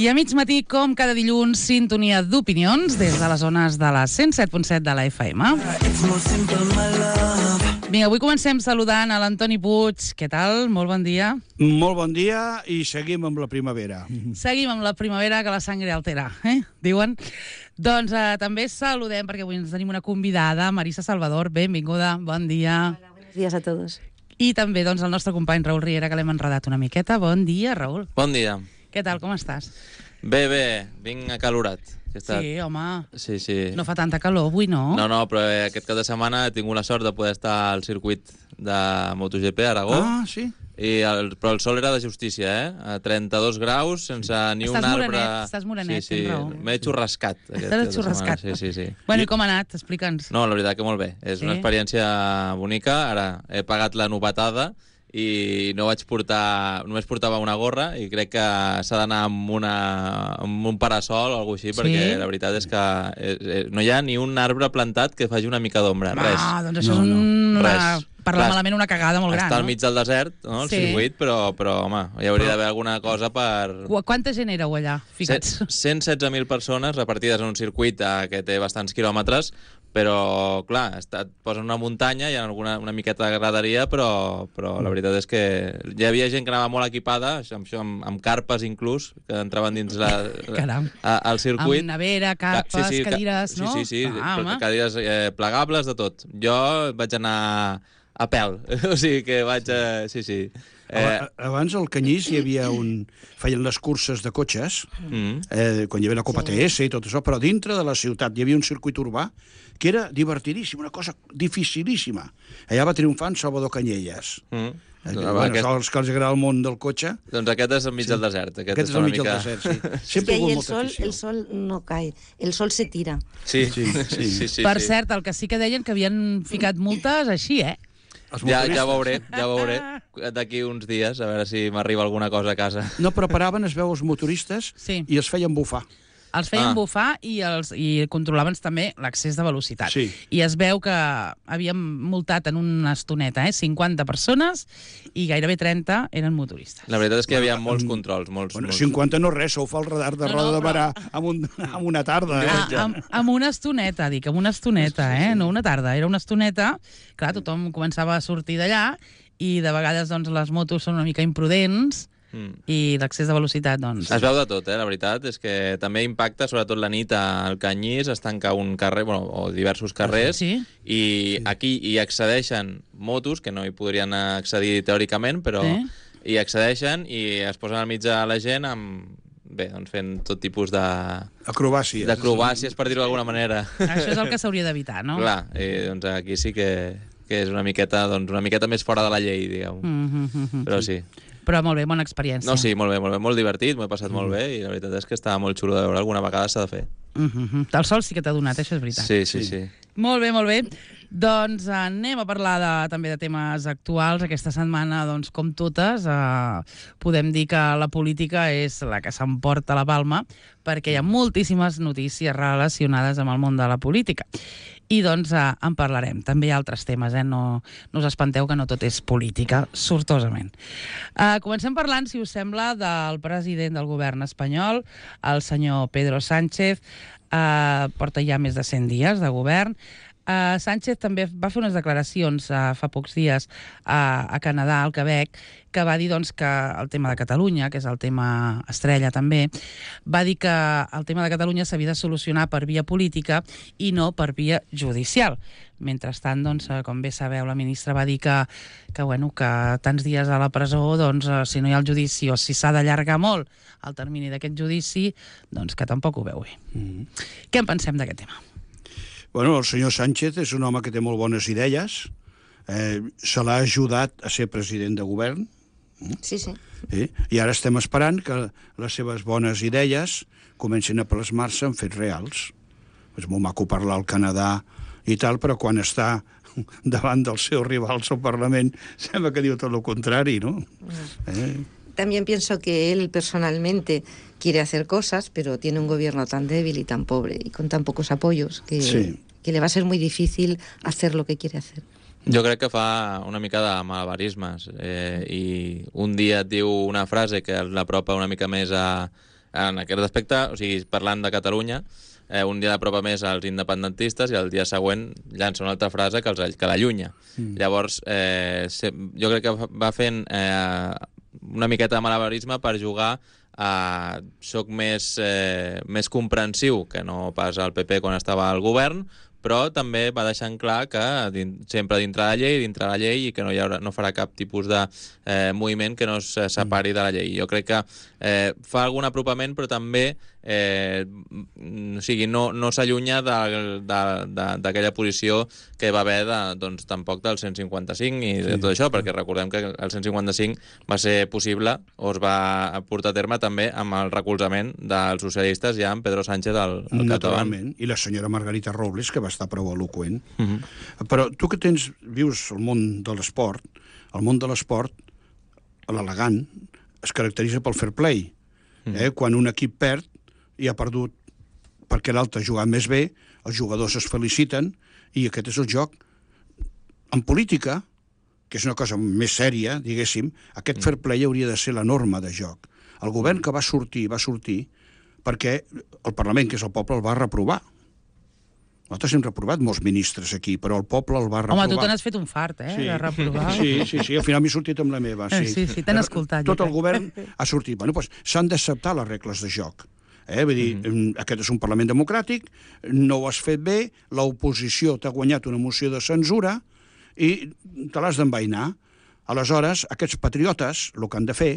I a mig matí, com cada dilluns, sintonia d'opinions des de les zones de la 107.7 de la FM. Vinga, avui comencem saludant a l'Antoni Puig. Què tal? Molt bon dia. Molt bon dia i seguim amb la primavera. Seguim amb la primavera, que la sangre altera, diuen. Doncs també saludem, perquè avui ens tenim una convidada, Marisa Salvador. Benvinguda, bon dia. Hola, buenos días a todos. I també doncs, el nostre company Raül Riera, que l'hem enredat una miqueta. Bon dia, Raül. Bon dia. Què tal, com estàs? Bé, vinc acalorat. Sí, home. Sí. No fa tanta calor avui, no? No, però aquest cap de setmana he tingut la sort de poder estar al circuit de MotoGP a Aragó. Ah, sí? Però el sol era de justícia, A 32 graus, sense ni un arbre... Estàs morenet, sí, Raül. M'he xurrascat. T'has xurrascat. Sí. Bueno, i com ha anat? Explica'ns. No, la veritat que molt bé. És una experiència bonica. Ara he pagat la novetada i només portava una gorra i crec que s'ha d'anar amb un parasol o alguna cosa així, perquè la veritat és que no hi ha ni un arbre plantat que faci una mica d'ombra, res. Doncs això és parlar malament una cagada molt gran, Està al mig del desert, el circuit, però home, hi hauria d'haver alguna cosa per... Quanta gent éreu allà, ficats? 116.000 persones repartides en un circuit que té bastants quilòmetres, però, clar, et posen una muntanya, hi ha una miqueta de graderia, però la veritat és que hi havia gent que anava molt equipada, amb carpes inclús, que entraven dins al circuit. Amb nevera, carpes, cadires, no? Sí, cadires plegables, de tot. Jo vaig anar a pèl, o sigui que vaig... Sí. Abans al Canyís hi havia feien les curses de cotxes, quan hi havia la Copa TS i tot això, però dintre de la ciutat hi havia un circuit urbà que era divertidíssim, una cosa dificilíssima. Allà va triomfar en Salvador Canyelles. Els que els agrada el món del cotxe. Doncs aquest és enmig del desert. Aquest és enmig del desert, sí. Es que ahí el sol no cae, el sol se tira. Sí. Per cert, el que sí que deien que havien ficat multes així, Ja veuré d'aquí uns dies, a veure si m'arriba alguna cosa a casa. No, però paraven, es veu, els motoristes i els feien bufar. Els feien bufar i controlaven també l'accés de velocitat. Sí. I es veu que havíem multat en una estoneta 50 persones i gairebé 30 eren motoristes. La veritat és que hi havia molts controls. Bueno, 50 no res, ho fa el radar de Roda de Barà amb una tarda. Amb una estoneta, dic, amb una estoneta, no una tarda, era una estoneta. Clar, tothom començava a sortir d'allà i de vegades doncs, les motos són una mica imprudents i l'accés de velocitat, doncs... Es veu de tot, la veritat és que també impacta, sobretot la nit al Canyís, es tanca un carrer, o diversos carrers, i aquí hi accedeixen motos, que no hi podrien accedir teòricament, però hi accedeixen i es posen al mig de la gent doncs fent tot tipus d'acrobàcies, per dir-ho d'alguna manera. Això és el que s'hauria d'evitar, no? Clar, doncs aquí sí que és una miqueta més fora de la llei, digueu. Però sí. Però molt bé, bona experiència. No, sí, molt bé, molt divertit, m'ho he passat molt bé i la veritat és que estava molt xulo de veure, alguna vegada s'ha de fer. El sol sí que t'ha donat, això és veritat. Sí. Molt bé. Doncs anem a parlar també de temes actuals. Aquesta setmana, doncs, com totes, podem dir que la política és la que s'emporta la palma, perquè hi ha moltíssimes notícies relacionades amb el món de la política. I doncs en parlarem. També hi ha altres temes, no us espanteu que no tot és política, sortosament. Comencem parlant, si us sembla, del president del govern espanyol, el senyor Pedro Sánchez. Porta ja més de 100 dies de govern. Sánchez també va fer unes declaracions fa pocs dies a Canadà, al Quebec, que va dir doncs, que el tema de Catalunya, que és el tema estrella també, va dir que el tema de Catalunya s'havia de solucionar per via política i no per via judicial. Mentrestant, doncs, com bé sabeu, la ministra va dir que tants dies a la presó, doncs, si no hi ha el judici o si s'ha d'allargar molt el termini d'aquest judici, doncs que tampoc ho veu bé. Què en pensem d'aquest tema? Bueno, el senyor Sánchez és un home que té molt bones idees. Se l'ha ajudat a ser president de govern. Sí. I ara estem esperant que les seves bones idees comencin a plasmar-se en fets reals. És molt maco parlar al Canadà i tal, però quan està davant dels seus rivals al Parlament sembla que diu tot el contrari, ¿no? También pienso que él personalmente quiere hacer cosas, pero tiene un gobierno tan débil y tan pobre y con tan pocos apoyos que le va a ser muy difícil hacer lo que quiere hacer. Jo crec que fa una mica de malabarismes i un dia et diu una frase que l'apropa una mica més a en aquest aspecte, o sigui, parlant de Catalunya, un dia l'apropa més als independentistes i el dia següent llança una altra frase que l'allunya. Llavors, jo crec que va fent una miqueta de malabarisme per jugar a soc més comprensiu que no pas al PP quan estava al govern, però també va deixant clar que sempre dintre de la llei i que no farà cap tipus de moviment que no es separi de la llei. Jo crec que fa algun apropament, però també no s'allunya d'aquella posició que va haver tampoc del 155 i de tot això, perquè recordem que el 155 va ser possible o es va portar a terme també amb el recolzament dels socialistes ja amb Pedro Sánchez al capdavant. Naturalment, i la senyora Margarita Robles, que va estar prou eloqüent. Però tu que vius al món de l'esport, l'elegant es caracteritza pel fair play. Quan un equip perd i ha perdut perquè l'altre ha jugat més bé, els jugadors es feliciten i aquest és el joc. En política, que és una cosa més sèria, diguéssim, aquest fair play hauria de ser la norma de joc. El govern que va sortir perquè el Parlament, que és el poble, el va reprovar. Nosaltres hem reprovat molts ministres aquí, però el poble el va reprovar. Home, tu te n'has fet un fart, de reprovar. Sí, al final m'he sortit amb la meva. Sí, t'han escoltat. Tot el govern ha sortit. Bueno, doncs s'han d'acceptar les regles de joc. Vull dir, aquest és un Parlament democràtic, no ho has fet bé, l'oposició t'ha guanyat una moció de censura i te l'has d'envainar. Aleshores, aquests patriotes el que han de fer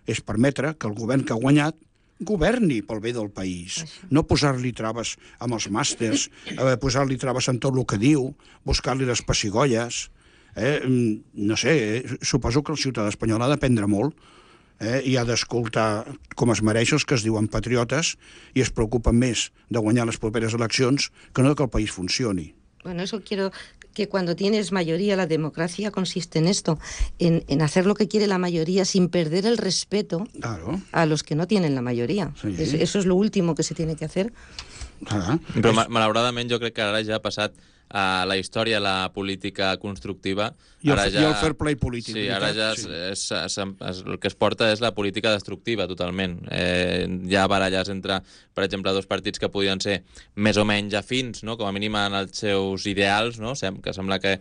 és permetre que el govern que ha guanyat governi pel bé del país, no posar-li traves amb els màsters, posar-li traves en tot el que diu, buscar-li les pessigolles. No sé, suposo que el ciutadà espanyol ha d'aprendre molt i ha d'escoltar com es mereix els que es diuen patriotes i es preocupen més de guanyar les properes eleccions que no que el país funcioni. Bueno, eso quiero que cuando tienes mayoría, la democracia consiste en esto, en hacer lo que quiere la mayoría sin perder el respeto a los que no tienen la mayoría. Sí. Eso es lo último que se tiene que hacer. Però malauradament jo crec que ara ja ha passat a la història la política constructiva. I el fair play polític. Sí, ara ja el que es porta és la política destructiva, totalment. Hi ha baralles entre, per exemple, dos partits que podien ser més o menys afins, no? Com a mínim en els seus ideals, no? Que sembla que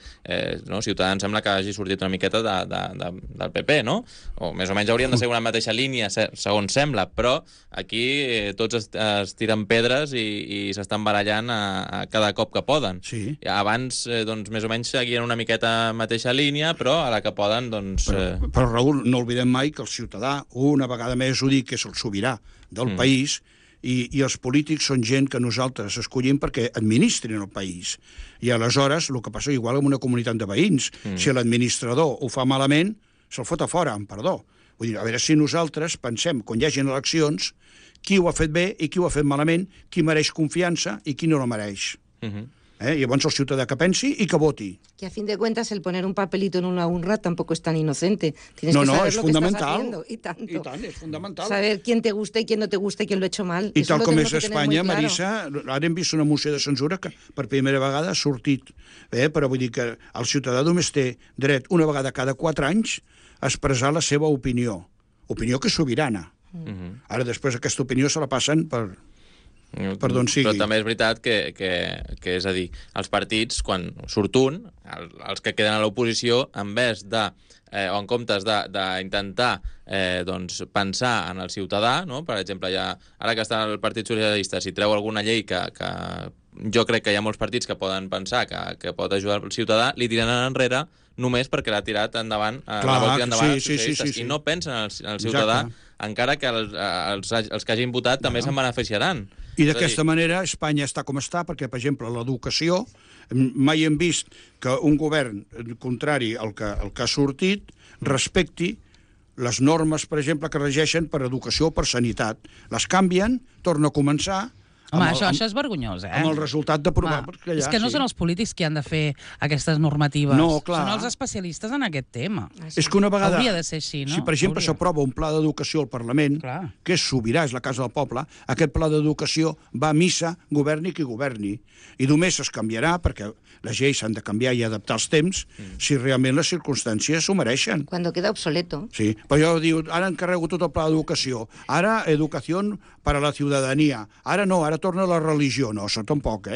Ciutadans sembla que hagi sortit una miqueta del PP, no? O més o menys haurien de ser una mateixa línia, segons sembla, però aquí tots es tiren pedres i s'estan barallant a cada cop que poden. Sí. Abans, més o menys seguien una miqueta mateixa línia, però a la que poden, Però, Raül, no oblidem mai que el ciutadà, una vegada més ho dic, que és el sobirà del país, i els polítics són gent que nosaltres escollim perquè administrin el país. I aleshores, el que passa igual amb una comunitat de veïns, si l'administrador ho fa malament, se'l fot a fora, amb perdó. Vull dir, a veure si nosaltres pensem, quan hi hagin eleccions, qui ho ha fet bé i qui ho ha fet malament, qui mereix confiança i qui no la mereix. Llavors el ciutadà que pensi i que voti. Que a fin de cuentas el poner un papelito en una urna tampoco es tan inocente. Tienes que saber es lo fundamental. Que estás haciendo. Y tanto. I tant, és fundamental. Saber quién te gusta y quién no te gusta y quién lo ha hecho mal. I tal com és Espanya, Marisa, ara hem vist una moció de censura que per primera vegada ha sortit. Però vull dir que el ciutadà només té dret una vegada cada 4 anys a expressar la seva opinió. Opinió que és sobirana. Ara després aquesta opinió se la passen per d'on sigui. Però també és veritat que és a dir, els partits, quan surt un, els que queden a l'oposició, en vez de, o en comptes d'intentar pensar en el ciutadà, no? Per exemple, ara que està el Partit Socialista, si treu alguna llei que jo crec que hi ha molts partits que poden pensar que pot ajudar el ciutadà, li tiraran enrere només perquè l'ha tirat endavant, els socialistes, i no pensen en el ciutadà, encara que els que hagin votat també se'n beneficiaran. I d'aquesta manera Espanya està com està, perquè, per exemple, l'educació, mai hem vist que un govern contrari al que ha sortit respecti les normes, per exemple, que regeixen per educació o per sanitat. Les canvien, torna a començar, Home, això és vergonyós, Amb el resultat d'aprovar... És que no són els polítics qui han de fer aquestes normatives. No, clar. Són els especialistes en aquest tema. És que una vegada... Hauria de ser així, no? Si, per exemple, s'aprova un pla d'educació al Parlament, que és sobirà, és la casa del poble, aquest pla d'educació va a missa, governi qui governi. I només es canviarà, perquè les lleis s'han de canviar i adaptar als temps, si realment les circumstàncies s'ho mereixen. Cuando queda obsoleto. Sí, però jo diu, ara encarrego tot el pla d'educació, ara educació per a la ciutadania, ara no, ara torna la religió. No, això tampoc,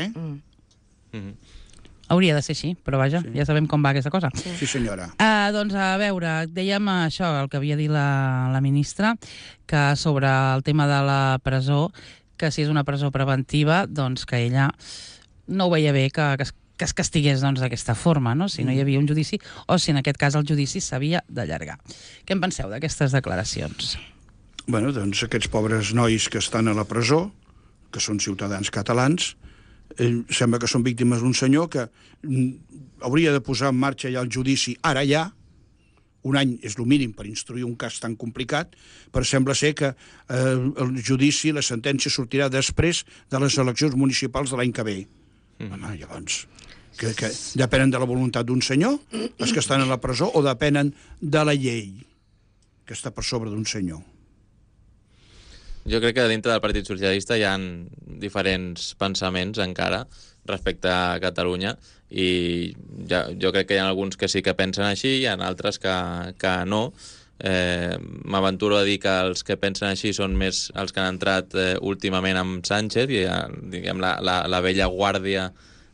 Hauria de ser així, però vaja, ja sabem com va aquesta cosa. Sí, senyora. Doncs a veure, dèiem això, el que havia dit la ministra, que sobre el tema de la presó, que si és una presó preventiva, doncs que ella no ho veia bé que es castigués d'aquesta forma, no? Si no hi havia un judici, o si en aquest cas el judici s'havia d'allargar. Què en penseu d'aquestes declaracions? Bueno, doncs aquests pobres nois que estan a la presó, que són ciutadans catalans, sembla que són víctimes d'un senyor que hauria de posar en marxa ja el judici ara ja. Un any és el mínim per instruir un cas tan complicat, però sembla ser que el judici, la sentència sortirà després de les eleccions municipals de l'any que ve. Home, llavors, que depenen de la voluntat d'un senyor, els que estan a la presó, o depenen de la llei que està per sobre d'un senyor? Jo crec que dintre del Partit Socialista hi ha diferents pensaments encara respecte a Catalunya i jo crec que hi ha alguns que sí que pensen així i hi ha altres que no. M'aventuro a dir que els que pensen així són més els que han entrat últimament amb Sánchez i diguem la vella guàrdia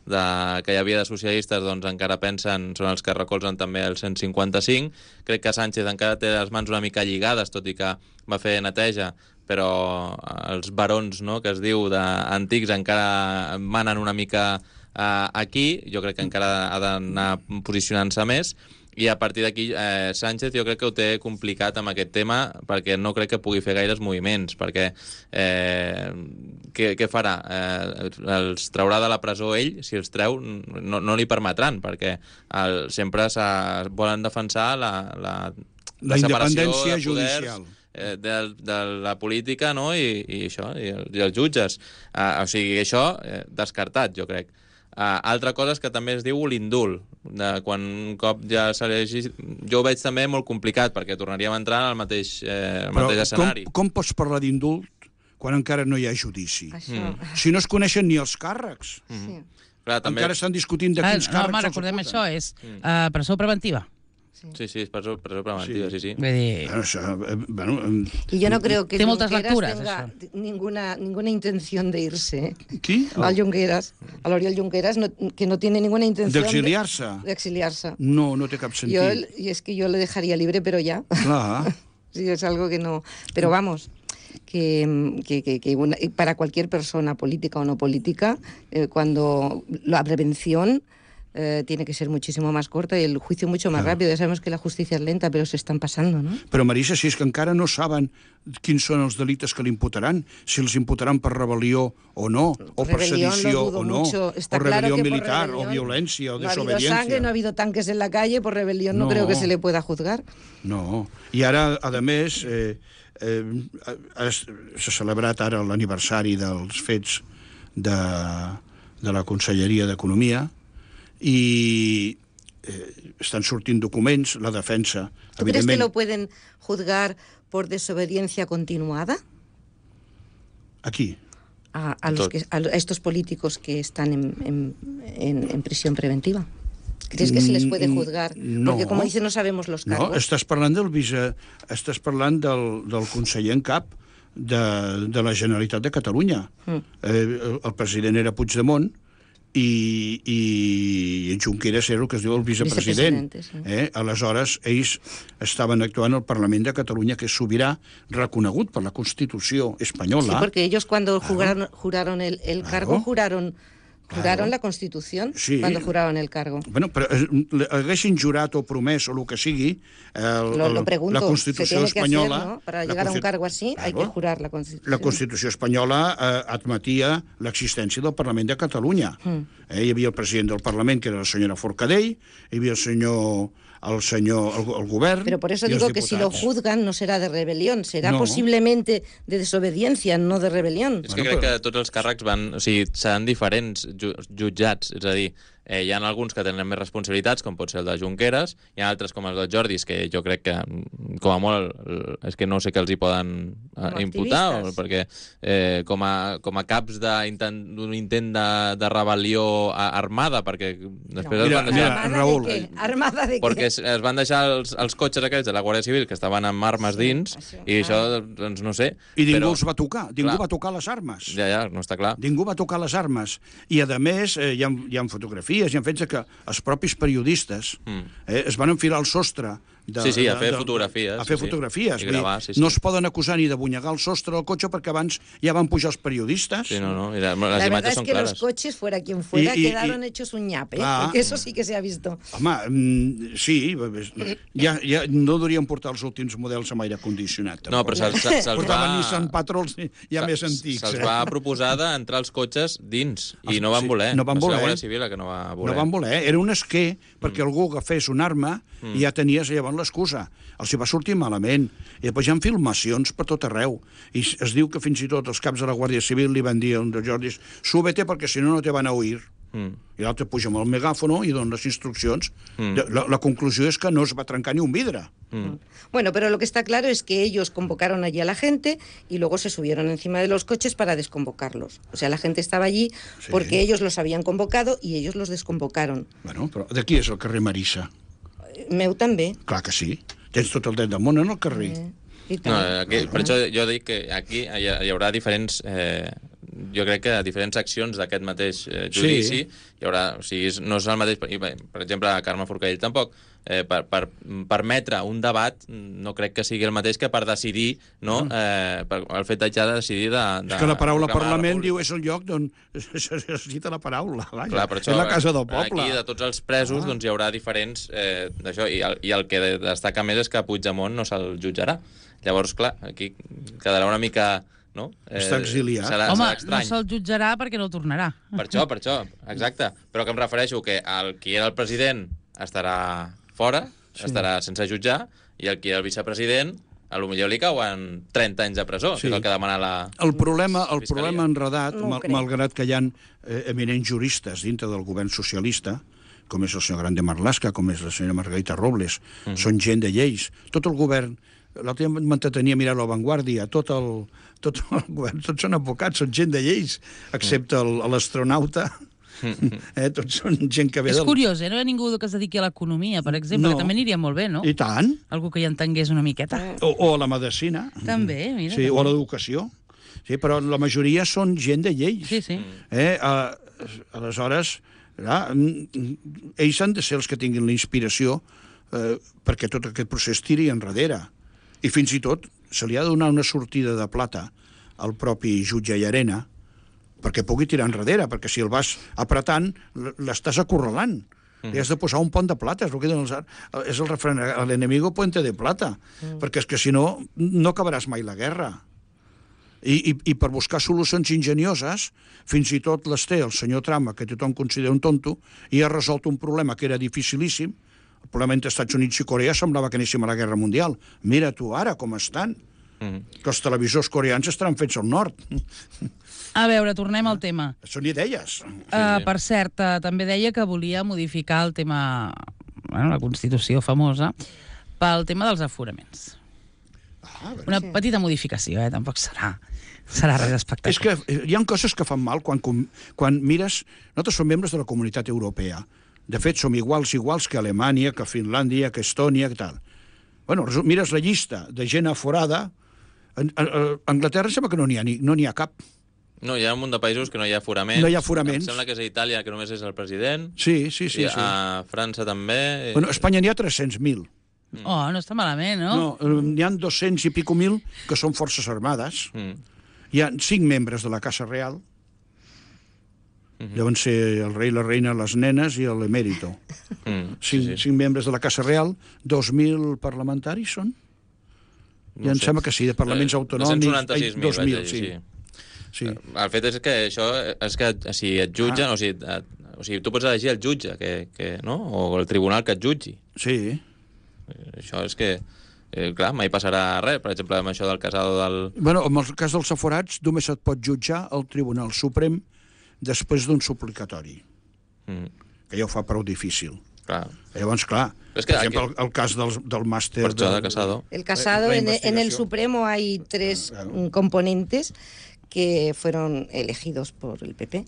que hi havia de socialistes doncs encara pensen, són els que recolzen també el 155. Crec que Sánchez encara té les mans una mica lligades, tot i que va fer neteja, però els barons, no?, que es diu d'antics encara manen una mica aquí. Jo crec que encara ha d'anar posicionant-se més i a partir d'aquí Sánchez jo crec que ho té complicat amb aquest tema perquè no crec que pugui fer gaires moviments perquè què farà? Els traurà de la presó ell? Si els treu no li permetran perquè sempre volen defensar la independència judicial de la política, no? I això, i els jutges. O sigui, això descartat, jo crec. Altra cosa és que també es diu l'indult, quan un cop ja s'elegís. Jo ho veig també molt complicat, perquè tornaríem a entrar al mateix escenari. Com pots parlar d'indult quan encara no hi ha judici? Si no es coneixen ni els càrrecs. Clar, també... Encara estan discutint de quins càrrecs els acusen. Recordem això, és presó preventiva. Sí, és presó preventiva, sí. Y yo no creo que Junqueras tenga ninguna intención de irse. ¿Qui? Al Junqueras, al Oriol Junqueras, que no tiene ninguna intención de exiliarse. No té cap sentit. Y es que yo le dejaría libre, pero ya. Clar. Sí, es algo que no... Pero vamos... Que para cualquier persona, política o no política, cuando la prevención tiene que ser muchísimo más corta y el juicio mucho más rápido. Ya sabemos que la justicia es lenta, pero se están pasando, ¿no? Però, Marisa, si és que encara no saben quins són els delictes que li imputaran, si els imputaran per rebel·lió o no, o per sedició o no, o rebel·lió militar, o violència, o desobediència. No ha habido sangre, no ha habido tanques en la calle, por rebelión no creo que se le pueda juzgar. No, i ara, a més... s'ha celebrat ara l'aniversari dels fets de la Conselleria d'Economia i estan sortint documents, la defensa... ¿Tú crees que lo pueden juzgar por desobediencia continuada? Aquí. A estos políticos que están en prisión preventiva. ¿Crees que se les puede juzgar? No. Porque, como dices, no sabemos los cargos. No, estàs parlant del conseller en cap de la Generalitat de Catalunya. El president era Puigdemont i Junqueras era el que es diu el vicepresident. Aleshores, ells estaven actuant al Parlament de Catalunya, que és sobirà, reconegut per la Constitució espanyola. Sí, porque ellos cuando juraron el cargo, juraron la Constitución cuando juraron el cargo. Bueno, però haguessin jurat o promès o el que sigui la Constitució espanyola... Hacer, ¿no? Para llegar a un cargo así hay que jurar la Constitución. La Constitució espanyola admetia l'existència del Parlament de Catalunya. Hi havia el president del Parlament, que era la senyora Forcadell, hi havia el senyor el govern. Pero por eso y els digo que si lo diputats. juzgan no será de rebelión, será No. posiblemente de desobediencia, no de rebelión. És que crec que tots els càrrecs seran diferents jutjats, és a dir, hi ha alguns que tenen més responsabilitats, com pot ser el de Junqueras, hi ha altres com els de Jordis, que jo crec que, com a molt, és que no sé què els hi poden imputar, perquè com a caps d'un intent de rebel·lió armada, perquè després es van deixar... Raül, ¿Armada de què? Perquè es van deixar els cotxes aquells de la Guàrdia Civil que estaven amb armes dins, i això, doncs no sé... I ningú els va tocar, ningú va tocar les armes. Ja, no està clar. Ningú va tocar les armes. I, a més, hi ha fotografies, hi ha fets que els propis periodistes es van enfilar al sostre a fer fotografies. A fer fotografies. I gravar, sí. No es poden acusar ni de bunyegar el sostre del cotxe perquè abans ja van pujar els periodistes. Sí, no, i les la verdad imatges es són que clares. los coches, fuera quien fuera, quedaron hechos un ñape, porque eso sí que se ha visto. Home, sí, ja no deurien portar els últims models amb aire condicionat. No, però se'ls portaven Nissan Patrols ja més antics. Se'ls va proposar d'entrar els cotxes dins, i no van voler. No van voler. La Guàrdia Civil que no va voler. No van voler. Era un esquer perquè algú agafés un arma i ja tenies llavors l'excusa. Els hi va sortir malament. I després hi ha filmacions per tot arreu. I es diu que fins i tot els caps de la Guàrdia Civil li van dir a un de Jordis: súbete perquè si no, no te van a oír. I l'altre puja amb el megàfono i dona les instruccions. La conclusió és que no es va trencar ni un vidre. Bueno, pero lo que está claro es que ellos convocaron allí a la gente y luego se subieron encima de los coches para desconvocarlos. O sea, la gente estaba allí porque ellos los habían convocado y ellos los desconvocaron. Bueno, però de qui és el carrer Marissa? Meu també. Clar que sí. Tens tot el dret del món en el carrer. No, per això jo dic que aquí hi haurà diferents... jo crec que diferents accions d'aquest mateix judici hi haurà... O sigui, no és el mateix... Per exemple, a Carme Forcadell tampoc. Per permetre un debat no crec que sigui el mateix que per decidir, no? El fet ja de decidir és que la paraula Parlament diu és el lloc on es necessita la paraula. Clar, per això, és la casa del poble. Aquí, de tots els presos, doncs hi haurà diferents d'això, i el que destaca més és que Puigdemont no se'l jutjarà. Llavors, clar, aquí quedarà una mica... No? Està exiliat. Home, no se'l jutjarà perquè no tornarà. Per això, exacte. Però que em refereixo que qui era el president estarà fora, estarà sense jutjar, i el qui era el vicepresident, potser li cauen 30 anys de presó, que és el que demana la El problema enredat, malgrat que hi ha eminents juristes dintre del govern socialista, com és el senyor Grande Marlaska, com és la senyora Margarita Robles, són gent de lleis. Tot el govern... L'altre dia m'entretenia mirar La Vanguardia, tot el govern, tots són advocats, són gent de lleis, excepte l'astronauta. Tots són gent que ve És curiós, no hi ha ningú que es dediqui a l'economia, per exemple, que també aniria molt bé, no? I tant. Algú que hi entengués una miqueta. O a la medicina. També, mira. Sí, o a l'educació. Sí, però la majoria són gent de lleis. Sí. Aleshores, ells han de ser els que tinguin la inspiració perquè tot aquest procés tiri enrere. I fins i tot se li ha de donar una sortida de plata al propi jutge Llarena perquè pugui tirar enrere, perquè si el vas apretant, l'estàs acorralant. Li has de posar un pont de plata, és el que diuen és el refrany, l'enemigo puente de plata, perquè és que si no, no acabaràs mai la guerra. I per buscar solucions ingenioses, fins i tot les té el senyor Trump, que tothom considera un tonto, i ha resolt un problema que era dificilíssim. El problema entre Estats Units i Corea semblava que anéssim a la Guerra Mundial. Mira tu ara com estan. Que els televisors coreans estaran fets al nord. A veure, tornem al tema. Són idees. Per cert, també deia que volia modificar el tema, la Constitució famosa, pel tema dels aforaments. Una petita modificació, tampoc serà res espectacular. És que hi ha coses que fan mal quan mires... Nosaltres som membres de la Comunitat Europea. De fet, som iguals que Alemanya, que Finlàndia, que Estònia, que tal. Bueno, mires la llista de gent aforada, a Anglaterra sembla que no n'hi ha cap. No, hi ha un munt de països que no hi ha aforaments. No hi ha aforaments. Em sembla que és a Itàlia, que només és el president. Sí. A França també. Bueno, a Espanya n'hi ha 300.000. Oh, no està malament, no? No, n'hi ha 200 i pico mil que són forces armades. Hi ha 5 membres de la Casa Real. Deuen ser el rei, la reina, les nenes i l'emèrito. 5 membres de la Casa Real, 2.000 parlamentaris són? Ja em sembla que sí, de parlaments autonòmics. 296.000, sí. El fet és que això és que si et jutgen, o sigui, tu pots elegir el jutge, no? O el tribunal que et jutgi. Sí. Això és que, clar, mai passarà res. Per exemple, amb això del Casado del... Bueno, en el cas dels aforats només et pot jutjar el Tribunal Suprem després d'un suplicatori, que ja ho fa prou difícil. Clar. Llavors, clar, per ejemplo, el cas del máster... de Casado. El Casado, en el Supremo hay 3 componentes que fueron elegidos por el PP.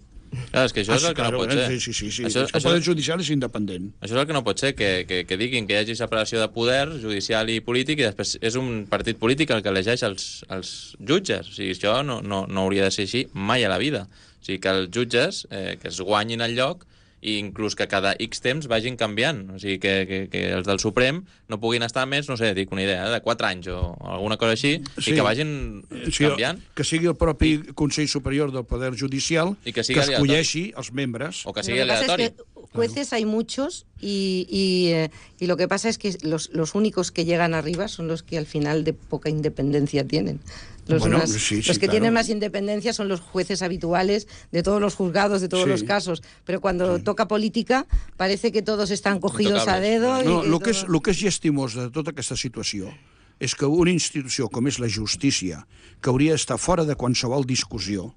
Clar, és que això és el que no pot ser. Sí. El poder judicial és independent. Això és el que no pot ser, que diguin que hi hagi separació de poder judicial i polític i després és un partit polític el que elegeix els jutges. O sigui, això no hauria de ser així mai a la vida. O sigui, que els jutges que es guanyin el lloc i inclús que cada X temps vagin canviant. O sigui, que els del Suprem no puguin estar més, no sé, dic una idea, de 4 anys o alguna cosa així, i que vagin canviant. Que sigui el propi Consell Superior del Poder Judicial que escolleixi els membres. O que sigui aleatori. Jueces hay muchos y lo que pasa es que los únicos que llegan arriba son los que al final de poca independencia tienen. Los que tienen más independencia son los jueces habituales de todos los juzgados, de todos los casos. Pero cuando toca política parece que todos están cogidos a dedo. No, el que és llastimós de tota aquesta situació és que una institució com és la justícia, que hauria d'estar fora de qualsevol discussió,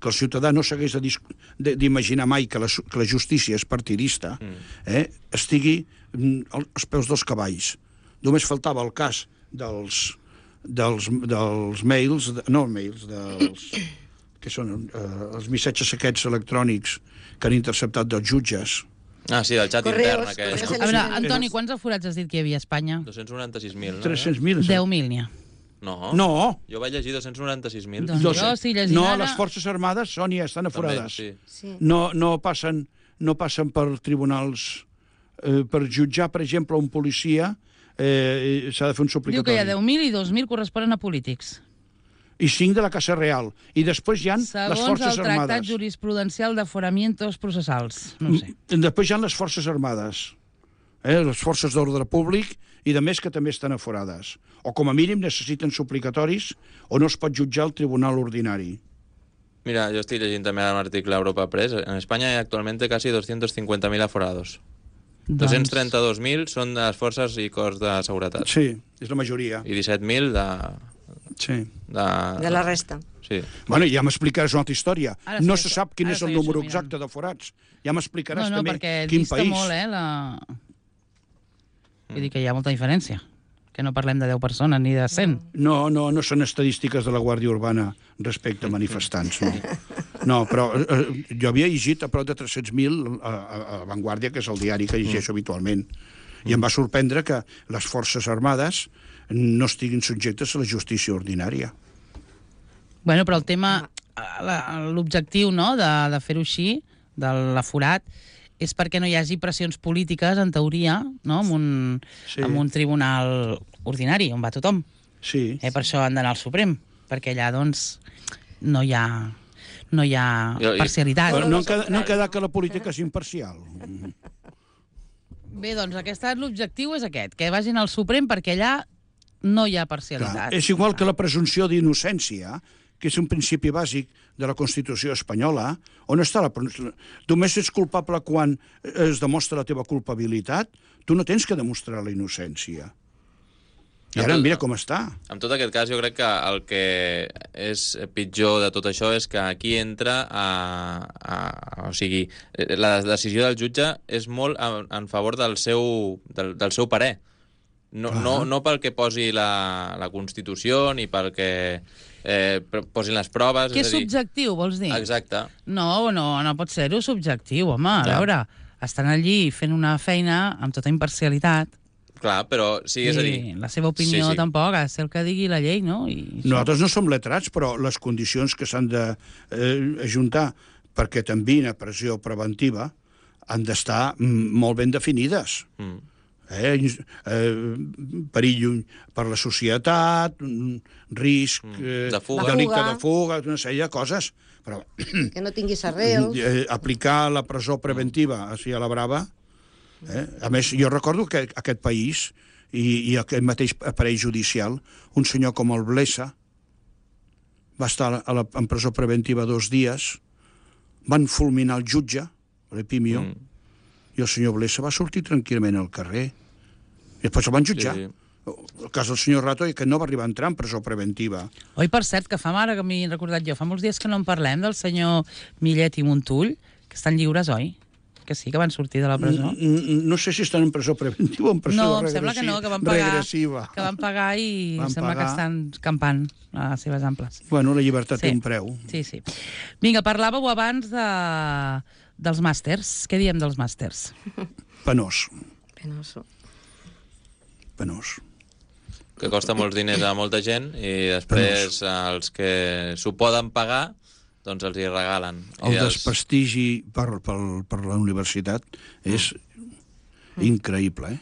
que el ciutadà no s'hagués d'imaginar mai que la justícia és partidista, estigui als peus dels cavalls. Només faltava el cas dels mails, que són els missatges aquests electrònics que han interceptat dels jutges. Ah, sí, del xat intern. A veure, Antoni, quants aforats has dit que hi havia a Espanya? 296.000, no? 300.000. 10.000 n'hi ha. No. Jo vaig llegir 296.000. Doncs jo estic llegint no, ara... les Forces Armades, Sònia, estan aforades. Sí. No passen per tribunals... per jutjar, per exemple, un policia s'ha de fer un suplicatori. Diu que hi ha 10.000 i 2.000 corresponen a polítics. I 5 de la Casa Real. I després hi ha les Forces Armades. Segons el Tractat Jurisprudencial de Foramientos Processals. No sé. Després hi ha les Forces Armades. Les forces d'ordre públic i de més que també estan aforades. O com a mínim necessiten suplicatoris o no es pot jutjar al tribunal ordinari. Mira, yo estoy leyendo también un artículo de Europa Press. En España hay actualmente casi 250.000 aforados. 232.000 són de les forces i cos de seguretat. Sí, és la majoria. I 17.000 de la resta. Sí. Bueno, ja m'explicaràs una altra història. No se sap quin és el número exacte de forats. Ja m'explicaràs també quin país. No, perquè dista molt, Vull dir que hi ha molta diferència. Que no parlem de 10 persones ni de 100. No són estadístiques de la Guàrdia Urbana respecte a manifestants, no. No, però jo havia llegit a prop de 300.000 a Vanguardia, que és el diari que llegeixo habitualment, i em va sorprendre que les Forces Armades no estiguin subjectes a la justícia ordinària. Bueno, però el tema, l'objectiu, no?, de fer-ho així, de l'aforat, és perquè no hi hagi pressions polítiques, en teoria, no?, amb un tribunal ordinari, on va tothom. Sí. Per això han d'anar al Suprem, perquè allà, doncs, no hi ha parcialitat. No han quedat que la política és imparcial. Bé, doncs, l'objectiu és aquest, que vagin al Suprem perquè allà no hi ha parcialitat. Clar, és igual que la presumpció d'innocència, que és un principi bàsic de la Constitució espanyola, on està només ets culpable quan es demostra la teva culpabilitat, tu no tens que demostrar la innocència. I ara mira com està. En tot aquest cas, jo crec que el que és pitjor de tot això és que aquí entra o sigui, la decisió del jutge és molt en favor del seu parer. No pel que posi la Constitució ni pel que posin les proves. Que és subjectiu, vols dir? Exacte. No pot ser-ho subjectiu, home. A veure, estan allí fent una feina amb tota imparcialitat. Clar, però sí, és a dir... La seva opinió tampoc ha de ser el que digui la llei, no? Nosaltres no som letrats, però les condicions que s'han d'ajuntar perquè t'enviïn a pressió preventiva han d'estar molt ben definides. Perill per la societat, risc, delicte de fuga, una sèrie de coses. Però que no tinguis arrels. Aplicar la presó preventiva així a la brava. A més, jo recordo que aquest país i aquest mateix aparell judicial, un senyor com el Blesa va estar en presó preventiva 2 dies, van fulminar el jutge, l'Epimio, i el senyor Blesa va sortir tranquil·lament al carrer. I després el van jutjar. Sí. El cas del senyor Rato, que no va arribar a entrar en presó preventiva. Oi, per cert, que fa mare, que m'he recordat jo, fa molts dies que no en parlem del senyor Millet i Montull, que estan lliures, oi? Que sí, que van sortir de la presó. No sé si estan en presó preventiva o en presó regressiva. No, em sembla que no, que van pagar i sembla que estan campant a les seves amples. Bueno, la llibertat té un preu. Sí. Vinga, parlàveu abans dels màsters. Què diem dels màsters? Penós. Que costa molts diners a molta gent i després els que s'ho poden pagar doncs els hi regalen. El desprestigi per la universitat és increïble,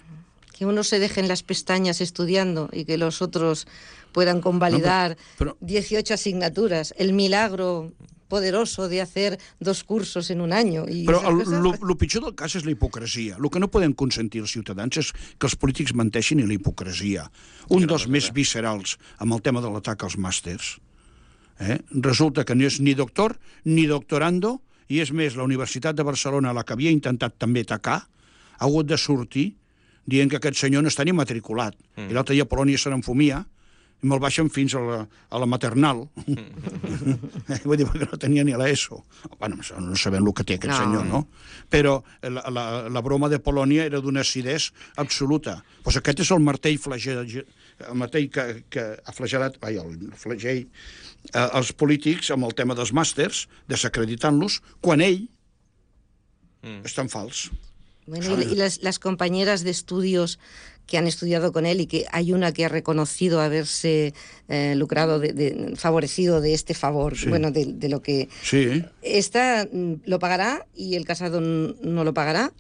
Que uno se deje en las pestañas estudiando y que los otros puedan convalidar 18 asignaturas. El milagro poderoso de hacer 2 cursos en un año. Però el pitjor del cas és la hipocresia. El que no podem consentir els ciutadans és que els polítics menteixin i la hipocresia. Un dels més viscerals amb el tema de l'atac als màsters. Resulta que no és ni doctor ni doctorando, i és més, la Universitat de Barcelona, la que havia intentat també atacar, ha hagut de sortir dient que aquest senyor no està ni matriculat. I l'altre dia a Polònia se n'enfumia i me'l baixen fins a la maternal. Vull dir, perquè no tenia ni l'ESO. Bueno, no sabem el que té aquest senyor, no? Però la broma de Polònia era d'una acidesa absoluta. Doncs aquest és el martell flagell, el martell que ha flagellat, el flagell als polítics amb el tema dels màsters, desacreditant-los, quan ell és tan fals. Bueno, y las compañeras de estudios que han estudiado con él y que hay una que ha reconocido haberse lucrado, favorecido de este favor, bueno, de lo que... Sí. Esta lo pagará y el Casado no lo pagará.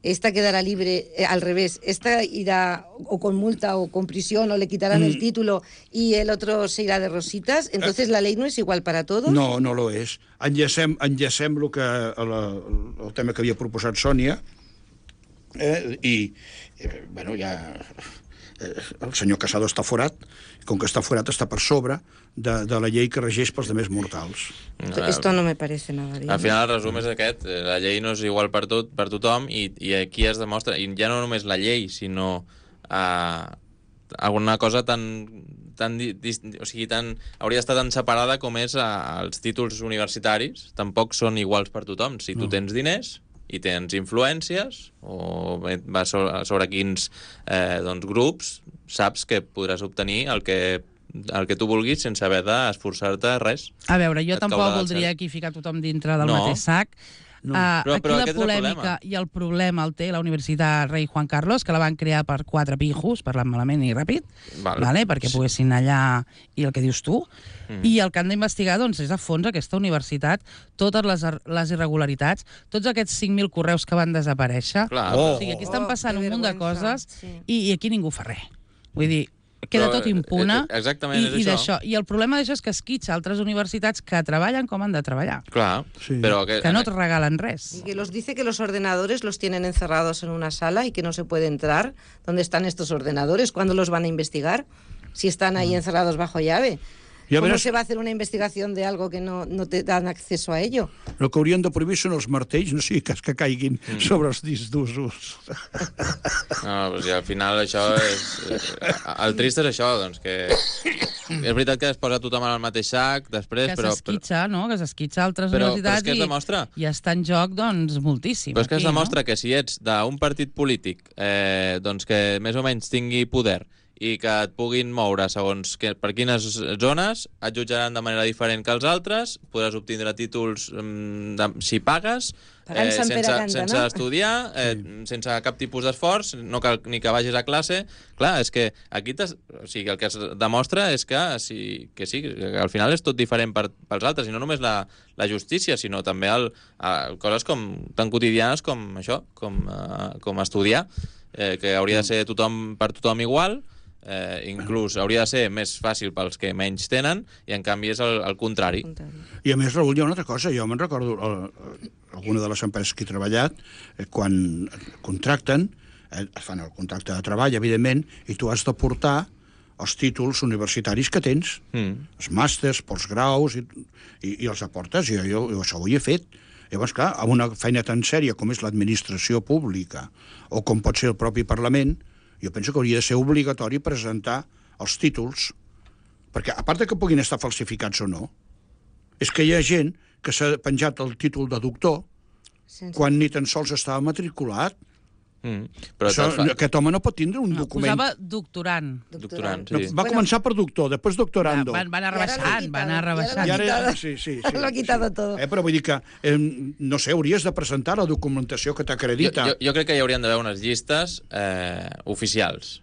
Esta quedará libre, al revés, esta irá o con multa o con prisión o le quitarán el título y el otro se irá de rositas. Entonces la ley no es igual para todos. No, no lo és. Enllacem el tema que havia proposat Sònia i bueno, ja el senyor Casado està forat, com que està forat està per sobre de la llei que regeix pels demés mortals. Esto no me parece nada bien. Al final el resum és aquest, la llei no és igual per tothom i aquí es demostra, i ja no només la llei, sinó alguna cosa hauria d'estar tan separada com és els títols universitaris, tampoc són iguals per tothom. Si tu tens diners i tens influències o vas sobre quins grups, saps que podràs obtenir el que tu vulguis sense haver d'esforçar-te res. A veure, jo tampoc voldria aquí ficar tothom dintre del mateix sac. Aquí la polèmica i el problema el té la Universitat Rei Juan Carlos, que la van crear per 4 pijos, parlant malament i ràpid, perquè poguessin allà, i el que dius tu, i el que han d'investigar és a fons aquesta universitat, totes les irregularitats, tots aquests 5.000 correus que van desaparèixer. O sigui, aquí estan passant un munt de coses i aquí ningú fa res. Vull dir, queda tot impune. Exactament, és això. I el problema d'això és que esquitxa altres universitats que treballen com han de treballar. Clar, però que no et regalen res. Y que los dice que los ordenadores los tienen encerrados en una sala y que no se puede entrar. ¿Dónde están estos ordenadores? ¿Cuándo los van a investigar? Si están ahí encerrados bajo llave. ¿Cómo se va a hacer una investigación de algo que no te dan acceso a ello? El que haurien de prohibir són els martells, no sigui cas que caiguin sobre els discs d'usos. No, i al final això és... El trist és això, doncs, que... És veritat que es posa tothom en el mateix sac, després, però... Que s'esquitxa altres universitats i està en joc, doncs, moltíssim. Però és que es demostra que si ets d'un partit polític doncs que més o menys tingui poder i que et puguin moure segons per quines zones, et jutjaran de manera diferent que els altres, podràs obtindre títols si pagues, sense estudiar, sense cap tipus d'esforç, no cal ni que vagis a classe. Clar, és que aquí el que es demostra és que al final és tot diferent pels altres, i no només la justícia, sinó també coses tan quotidianes com això, com estudiar, que hauria de ser per tothom igual. Inclús hauria de ser més fàcil pels que menys tenen, i en canvi és el contrari. I a més, Raül, hi ha una altra cosa. Jo me'n recordo alguna de les empreses que he treballat, quan contracten, fan el contracte de treball, evidentment, i tu has de portar els títols universitaris que tens, els màsters, postgraus, i els aportes, i jo això ho he fet. Llavors, clar, amb una feina tan sèria com és l'administració pública, o com pot ser el propi Parlament, jo penso que hauria de ser obligatori presentar els títols, perquè a part de que puguin estar falsificats o no, és que hi ha gent que s'ha penjat el títol de doctor quan ni tan sols estava matriculat. Però aquest home no pot tindre un document. Posava doctorant. Doctorant, sí. Va començar per doctor, després doctorando. Van anar rebaixant. Sí. Lo ha quitado todo. Però vull dir que, no sé, hauries de presentar la documentació que t'acredita. Jo crec que hi haurien d'haver unes llistes oficials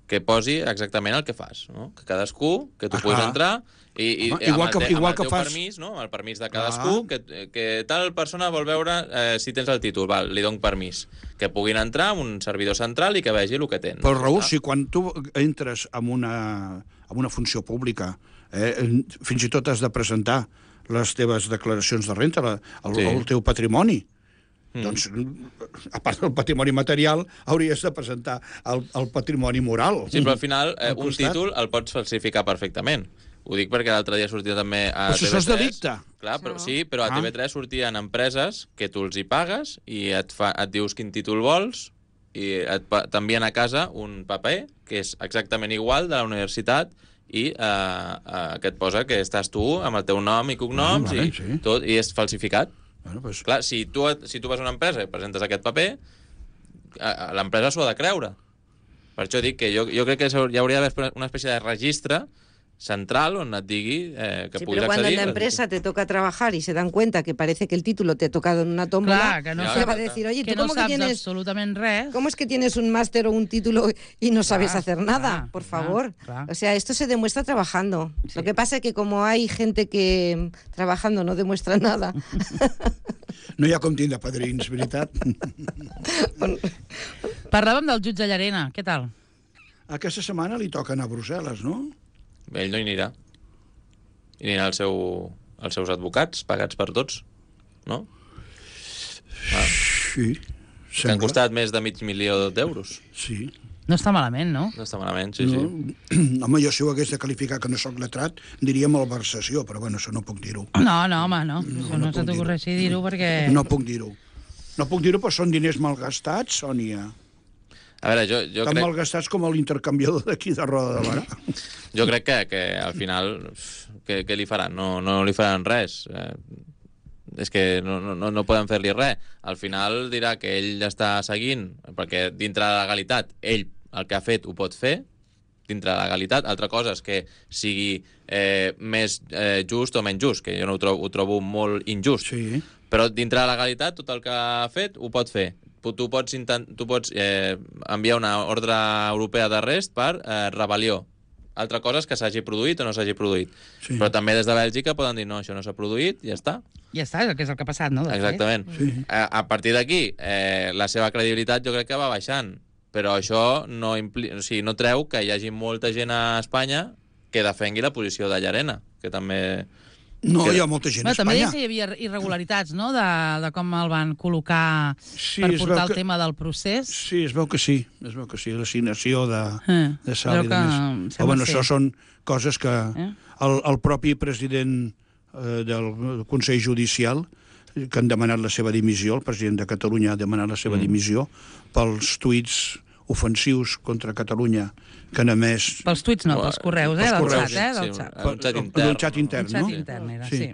que posi exactament el que fas, no? Que cadascú, que tu puguis entrar i igual que teu fas permís, no? El permís de cadascú, que tal persona vol veure si tens el títol, val, li dono permís. Que puguin entrar en un servidor central i que vegi el que tens. Però, Raül, si quan tu entres en una funció pública, fins i tot has de presentar les teves declaracions de renta, el teu patrimoni, doncs, a part del patrimoni material, hauries de presentar el patrimoni moral. Sí, però al final un títol el pots falsificar perfectament. Ho dic perquè l'altre dia sortia també a TV3. Però això és delicte. Clar, però, sí, però a TV3 sortien empreses que tu els hi pagues i et dius quin títol vols i t'envien a casa un paper que és exactament igual de la universitat i que et posa que estàs tu amb el teu nom i cognoms i és falsificat. Bueno, pues... Clar, si tu vas a una empresa i presentes aquest paper, l'empresa s'ho ha de creure. Per això dic que jo crec que hi hauria d'haver una espècie de registre central on et digui que puguis accedir. Pero cuando en la empresa te toca trabajar y se dan cuenta que parece que el título te ha tocado en una tómbola, se va a decir, oye, que ¿tú cómo no que tienes absolutamente res? ¿Cómo es que tienes un máster o un título y no sabes hacer nada? Por favor. O sea, esto se demuestra trabajando. Sí. Lo que pasa es que como hay gente que trabajando no demuestra nada... No hi ha com tindre padrins, veritat? Parlàvem del jutge Llarena, què tal? Aquesta setmana li toca anar a Brussel·les, no? Ell no hi anirà. Hi anirà els seus advocats, pagats per tots, no? Sí, sembla. Que han costat més de $500.000 d'euros. Sí. No està malament, no? No està malament, sí. Home, jo si ho hagués de qualificar que no soc letrat, diria malversació, però bueno, això no puc dir-ho. No, home, no. Això no se t'ocorreixi dir-ho perquè... No puc dir-ho. No puc dir-ho, però són diners malgastats, Sònia. A veure, jo tan crec... malgastats com l'intercanviador d'aquí de Roda de Barà. Jo crec que al final, què li faran? No li faran res. És que no poden fer-li res. Al final dirà que ell està seguint, perquè dintre de la legalitat, ell el que ha fet ho pot fer, dintre de la legalitat. Altra cosa és que sigui més just o menys just, que jo no ho trobo molt injust. Sí. Però dintre de la legalitat, tot el que ha fet ho pot fer. Tu pots enviar una ordre europea d'arrest per rebel·lió. Altra cosa és que s'hagi produït o no s'hagi produït. Sí. Però també des de Bèlgica poden dir no, això no s'ha produït, ja està. Ja està, que és el que ha passat, no? Exactament. Sí. A partir d'aquí, la seva credibilitat jo crec que va baixant. Però això no treu que hi hagi molta gent a Espanya que defengui la posició de Llarena, que també... No, hi ha molta gent a Espanya. També deia que hi havia irregularitats, no?, de com el van col·locar per portar el tema del procés. Sí, es veu que sí, l'assignació de sal i de més. Però bueno, això són coses que el propi president del Consell Judicial, que han demanat la seva dimissió, el president de Catalunya ha demanat la seva dimissió pels tuits ofensius contra Catalunya que han emès... Pels tuits no, pels correus, del xat, del xat. Del xat intern, no? Un xat intern era, sí.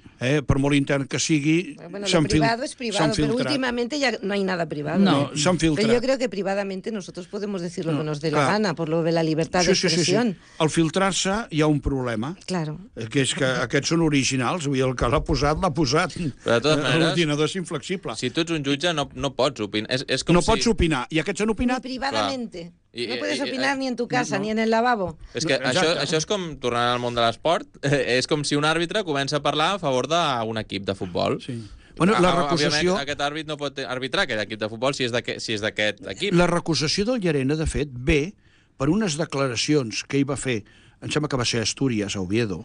Per molt intern que sigui... Bueno, lo privado es privado, pero últimamente ya no hay nada privado. No, s'han filtrat. Pero yo creo que privadamente nosotros podemos decir lo que nos dé la gana, por lo de la libertad de expresión. Sí. Al filtrar-se hi ha un problema. Claro. Que és que aquests són originals, vull dir, el que l'ha posat, l'ha posat. Però de totes maneres... L'ordinador és inflexible. Si tu ets un jutge, no pots opinar. No pots opinar. I aquests han opinat... Ni privadamente. No puedes opinar ni en tu casa, ni en el lavabo. És que això és com, tornant al món de l'esport, és com si un àrbitre comença a parlar a favor d'un equip de futbol. Sí. Bueno, la recusació... Aquest àrbit no pot arbitrar aquest equip de futbol si és d'aquest equip. La recusació del Llarena, de fet, ve per unes declaracions que ell va fer, em sembla que va ser a Astúries, a Oviedo,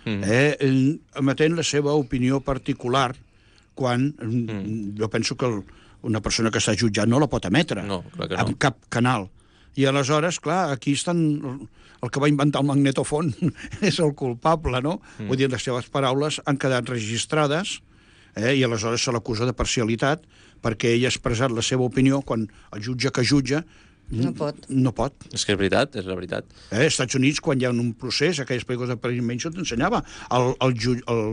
emetent la seva opinió particular quan jo penso que una persona que està jutjat no la pot emetre en cap canal. I aleshores, clar, aquí estan... El que va inventar el magnetofon és el culpable, no? Vull dir, les seves paraules han quedat registrades i aleshores se l'acusa de parcialitat perquè ell ha expressat la seva opinió quan el jutge que jutja No pot. No pot. És que és veritat, és la veritat. Als Estats Units, quan hi ha un procés, aquelles pel·lícules de Paris Manson t'ensenyava, el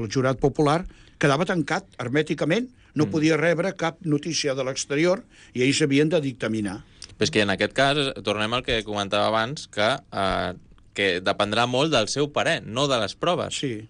jurat popular quedava tancat hermèticament, no podia rebre cap notícia de l'exterior i ells havien de dictaminar. Però és que en aquest cas, tornem al que comentava abans, que dependrà molt del seu parer, no de les proves. Sí.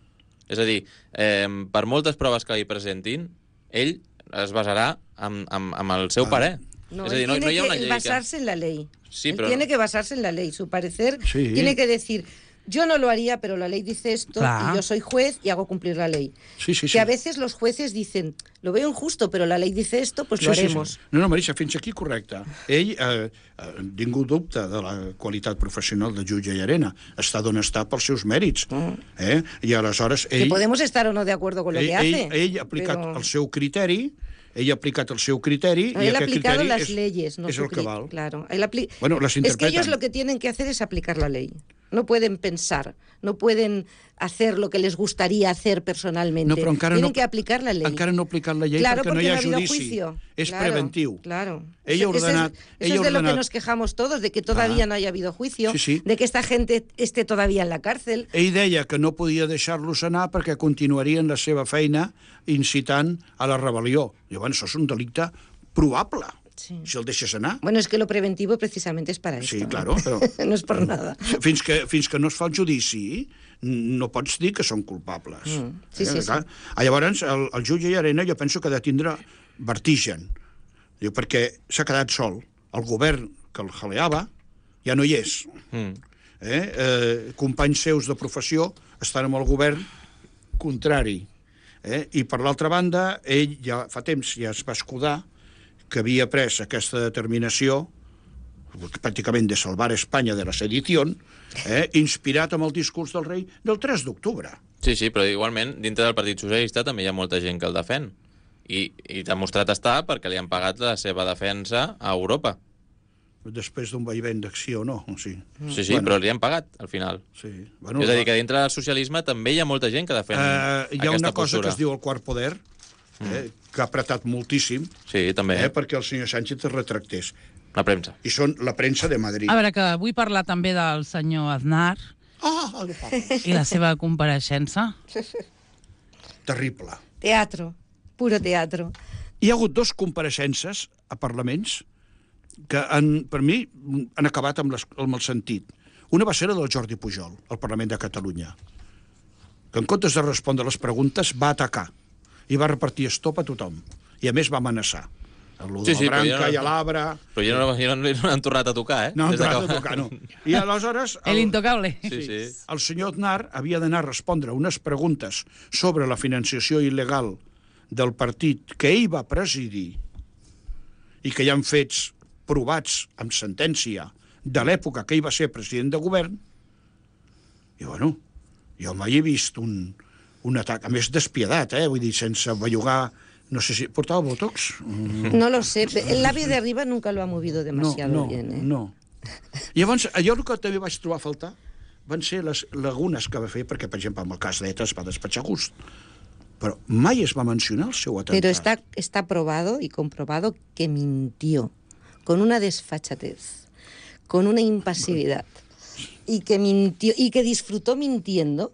És a dir, per moltes proves que li presentin, ell es basarà amb el seu parer. No, es decir, él tiene hi ha una que llei basarse en la ley. Sí, Él pero tiene que basarse en la ley. Su parecer Sí. tiene que decir, yo no lo haría, pero la ley dice esto Claro. y yo soy juez y hago cumplir la ley. Sí, sí, sí. Que a veces los jueces dicen, lo veo injusto, pero la ley dice esto, pues lo haremos. Sí. No, Marisa, fins aquí correcte. Ell ningú dubte de la qualitat professional de jutge Llarena. Està d'on està pels seus mèrits. I aleshores ell... Que podemos estar o no de acuerdo con lo que hace. Ell ha aplicat el seu criteri, i él ha aquest aplicado criteri las leyes, no és el que val. Claro. Bueno, las Es que interpretan. ellos lo que tienen que hacer es aplicar la ley. No pueden pensar, no pueden hacer lo que les gustaría hacer personalmente. No, però encara tienen no, que aplicar la ley. Encara no ha aplicat la llei Claro, perquè no hi ha habido judici. juicio. És Claro, preventiu. Claro. Ell ha ordenat... Eso es de lo que nos quejamos todos, de que todavía no haya habido juicio, Sí. de que esta gente esté todavía en la cárcel. Ell deia que no podia deixar-los anar perquè continuarien la seva feina incitant a la rebel·lió. Llavors, això és un delicte probable, si el deixes anar. Bueno, es que lo preventivo precisamente es para esto. Sí, claro, però... No es por nada. Fins que no es fa el judici, no pots dir que són culpables. Sí. Llavors, el jutge Llarena jo penso que ha de tindre vertigen. Diu, perquè s'ha quedat sol. El govern que el jaleava ja no hi és. Companys seus de professió estan amb el govern contrari. I per l'altra banda, ell ja fa temps ja es va escudar que havia pres aquesta determinació pràcticament de salvar Espanya de la sedició, inspirat amb el discurs del rei del 3 d'octubre. Sí, però igualment, dintre del Partit Socialista també hi ha molta gent que el defèn. I demostrat està perquè li han pagat la seva defensa a Europa. Després d'un vaivent d'acció, no? Sí, però li han pagat, al final. Sí. És a dir, que dintre del socialisme també hi ha molta gent que defèn aquesta postura. Hi ha una cosa que es diu el quart poder, que ha apretat moltíssim, també. Perquè el senyor Sánchez es retractés. La premsa. I són la premsa de Madrid. A veure, que vull parlar també del senyor Aznar i la seva compareixença. Terrible. Teatro, puro teatro. Hi ha hagut 2 compareixences a parlaments que, per mi, han acabat amb el sentit. Una va ser la del Jordi Pujol, al Parlament de Catalunya, que en comptes de respondre les preguntes va atacar i va repartir estop a tothom. I a més va amenaçar. De la Branca i a l'Abra... Però jo no han tornat a tocar, No han tornat a tocar, no. I aleshores... El intocable. Sí. El senyor Aznar havia d'anar a respondre unes preguntes sobre la financiació il·legal del partit que ell va presidir i que hi ha fets provats amb sentència de l'època que ell va ser president de govern. I, bueno, jo mai he vist un atac, a més despiedat, vull dir, sense bellugar... No sé si... ¿Portaba Botox? No lo sé. El labio de arriba nunca lo ha movido demasiado bien, No. Llavors, allò que també vaig trobar a faltar van ser les lagunes que va fer, perquè, per exemple, amb el cas d'ETA es va despatxar a gust. Pero mai es va mencionar el seu atemptat. Pero está probado y comprobado que mintió, con una desfachatez, con una impasividad, y que mintió, y que disfrutó mintiendo,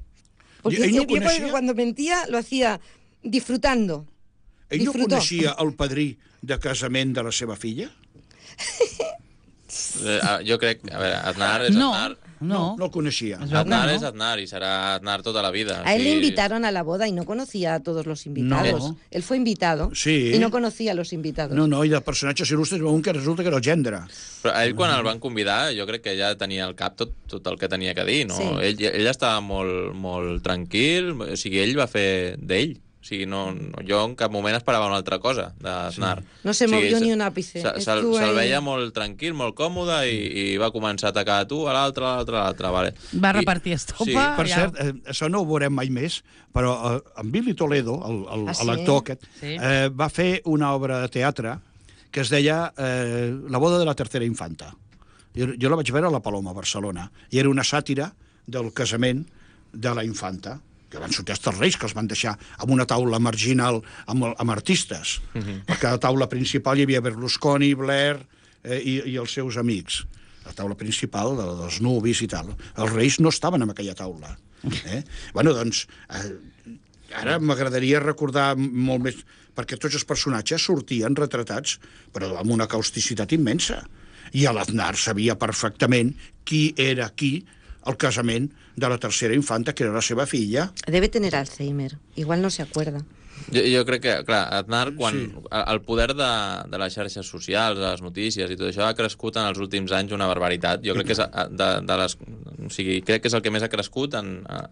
porque cuando mentía lo hacía disfrutando. Ell no coneixia el padrí de casament de la seva filla? Jo crec... A veure, Aznar és Aznar. No el coneixia. Aznar és Aznar y será Aznar toda la vida. A él le invitaron a la boda y no conocía a todos los invitados. No. Él fue invitado y no conocía a los invitados. No, i de personatges il·lustres un que resulta que era el gendre. Però a ell, quan el van convidar, jo crec que ja tenia al cap tot el que tenia que dir, no? Sí. Ell estava molt tranquil, o sigui, ell va fer d'ell. O sigui, jo en cap moment esperava una altra cosa d'Aznar. No se movió ni un àpice. Se'l veia molt tranquil, molt còmode i va començar a atacar a tu, a l'altre. Vale. Va repartir estopa. Sí. Per cert, això no ho veurem mai més, però en Billy Toledo, l'actor aquest, va fer una obra de teatre que es deia La boda de la tercera infanta. Jo la vaig veure a la Paloma, a Barcelona, i era una sàtira del casament de la infanta, que van sortir els reis, que els van deixar amb una taula marginal amb artistes. Perquè a la taula principal hi havia Berlusconi, Blair, i els seus amics. La taula principal dels nuvis i tal. Els reis no estaven en aquella taula. Bueno, doncs, ara m'agradaria recordar molt més, perquè tots els personatges sortien retratats, però amb una causticitat immensa. I l'Aznar sabia perfectament qui era qui al casament de la tercera infanta, que era la seva filla. Debe tener Alzheimer. Igual no se acuerda. Jo crec que, clar, Aznar, quan el poder de les xarxes socials, de les notícies i tot això ha crescut en els últims anys una barbaritat. Jo crec que és o sigui, crec que és el que més ha crescut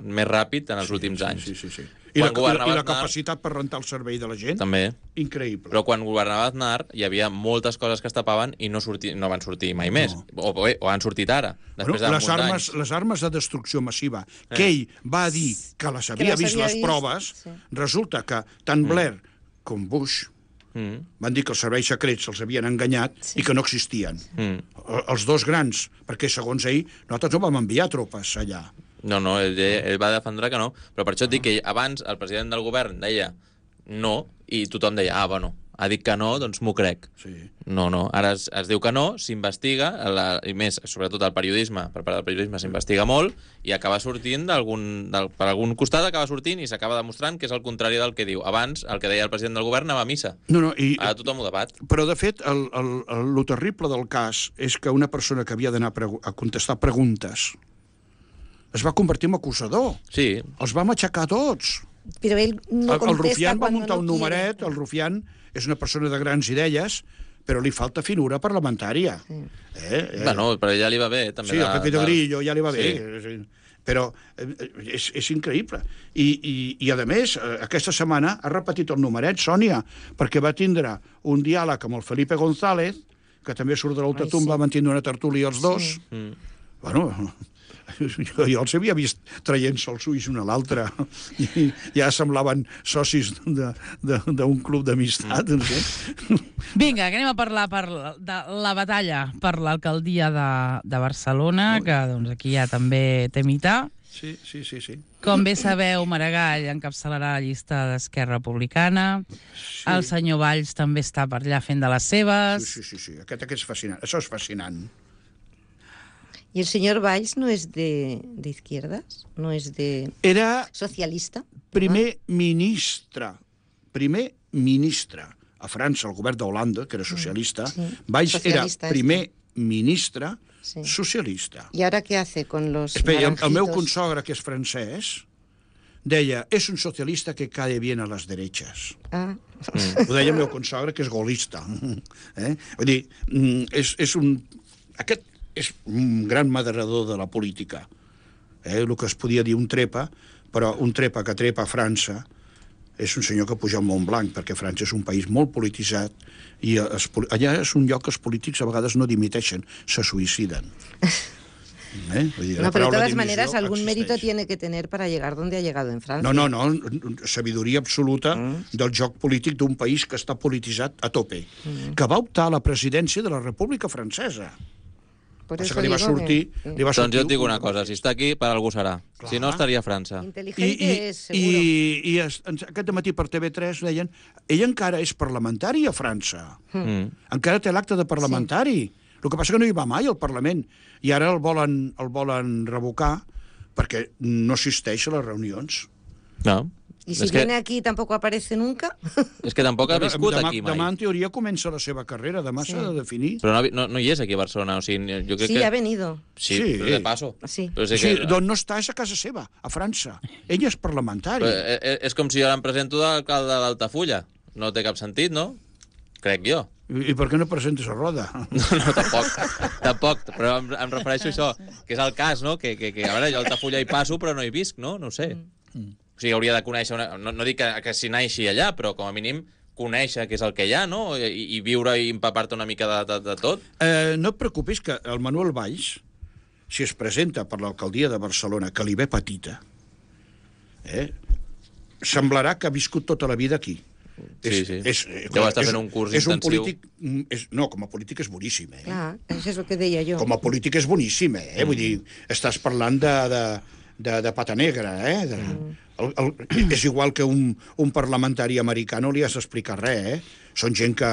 més ràpid en els últims anys. Sí. I la capacitat per rentar el servei de la gent? També. Increïble. Però quan governava Aznar hi havia moltes coses que es tapaven i no van sortir mai més. O han sortit ara, després de molts anys. Les armes de destrucció massiva, que ell va dir que les havia vist les proves, resulta que tant Blair com Bush van dir que els serveis secrets els havien enganyat i que no existien. Els dos grans, perquè segons ell nosaltres no vam enviar tropes allà. No, ell va defendre que no, però per això et dic que abans el president del govern deia no i tothom deia, bueno, ha dit que no, doncs m'ho crec. No, ara es diu que no, s'investiga, i més, sobretot el periodisme, per part del periodisme s'investiga molt i acaba sortint per algun costat acaba sortint i s'acaba demostrant que és el contrari del que diu. Abans, el que deia el president del govern anava a missa. Ara tothom ho debat. Però, de fet, el terrible del cas és que una persona que havia d'anar a contestar preguntes es va convertir en acusador. Sí. Els va matxacar tots. Però ell no contesta. El Rufián va muntar un numeret, el Rufián és una persona de grans idees, però li falta finura parlamentària. Bueno, però ja li va bé, també. Sí, el Pepito Grillo ja li va bé. Però és increïble. I, a més, aquesta setmana ha repetit el numeret, Sònia, perquè va tindre un diàleg amb el Felipe González, que també surt de l'ultratumba, van tindre una tertúlia els dos. Bueno, jo els havia vist traient-se els ulls un a l'altre i ja semblaven socis d'un club d'amistat. Vinga, que anem a parlar de la batalla per l'alcaldia de Barcelona, que doncs, aquí ja també té mità. Sí. Com bé sabeu, Maragall encapçalarà la llista d'Esquerra Republicana. El senyor Valls també està per allà fent de les seves. Sí. Aquest és fascinant. Això és fascinant. ¿Y el señor Valls no es de izquierdas? ¿No es de socialista? Primer ministre a França, el govern d'Holanda, que era socialista. Valls era primer ministre socialista. ¿Y ahora qué hace con los naranjitos? El meu consogre, que és francès, deia, és un socialista que cae bien a les derechas. Ho deia el meu consogre, que és golista. Vull dir, aquest és un gran moderador de la política. El que es podia dir un trepa, però un trepa que trepa a França és un senyor que puja al Mont Blanc, perquè França és un país molt polititzat i allà és un lloc que els polítics a vegades no dimiteixen, se suïciden. No, pero de todas maneras algún mérito tiene que tener para llegar donde ha llegado en Francia. No, sabidoria absoluta del joc polític d'un país que està polititzat a tope, que va optar a la presidència de la República Francesa. Por eso li va sortir... Doncs jo et dic una cosa, si està aquí, per algú serà. Si no, estaria a França. Intel·ligente és, seguro. I aquest matí per TV3 deien ell encara és parlamentari a França. Encara té l'acte de parlamentari. El que passa que no hi va mai al Parlament. I ara el volen revocar perquè no assisteix a les reunions. No. I si viene aquí tampoc aparece nunca? És que tampoc ha viscut aquí mai. Demà, en teoria, comença la seva carrera. Demà s'ha de definir. Però no hi és aquí a Barcelona. O sigui, jo crec que... ha venido. Sí, de paso. Sí. D'on no està és a casa seva, a França. Ell és parlamentari. És com si jo em presento d'alcalde d'Altafulla. No té cap sentit, no? Crec jo. I per què no presentes a Roda? No, tampoc. Però em refereixo a això, que és el cas, no? Que a veure, jo a Altafulla hi passo, però no hi visc, no? No ho sé. O sigui, hauria de conèixer... No dic que s'hi naixi allà, però com a mínim conèixer què és el que hi ha, no? I viure i empapar-te una mica de tot. No et preocupis que el Manuel Valls, si es presenta per l'alcaldia de Barcelona, que li ve petita, semblarà que ha viscut tota la vida aquí. Sí. Deu estar fent un curs intensiu. No, com a polític és boníssim. Clar, això és el que deia jo. Com a polític és boníssim, Vull dir, estàs parlant de pata negra, és igual que un parlamentari americà no li has d'explicar res, Són gent que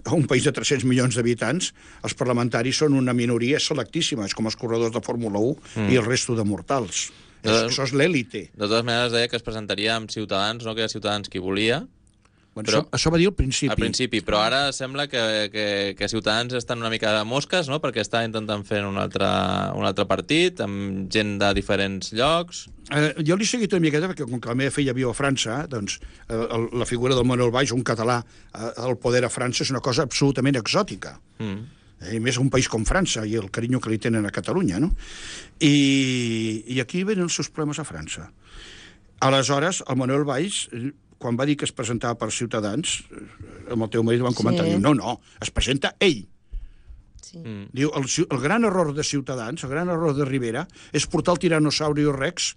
a un país de 300 milions d'habitants, els parlamentaris són una minoria selectíssima, és com els corredors de Fórmula 1 i el resto de mortals. Això és l'èlite. De totes maneres, deia que es presentaria amb Ciutadans, no? Que era Ciutadans qui volia. Bueno, això va dir al principi. Al principi, però ara sembla que Ciutadans estan una mica de mosques, no? Perquè està intentant fer un altre partit, amb gent de diferents llocs. Jo l'he seguit una miqueta, perquè com que la meva filla viu a França, doncs la figura del Manuel Valls, un català, al poder a França és una cosa absolutament exòtica. I més un país com França i el carinyo que li tenen a Catalunya, no? I aquí venen els seus problemes a França. Aleshores, el Manuel Valls, quan va dir que es presentava per Ciutadans, amb el teu marit van comentar, diu, no, es presenta ell. Sí. Diu, el gran error de Ciutadans, el gran error de Rivera, és portar el Tiranosaurio Rex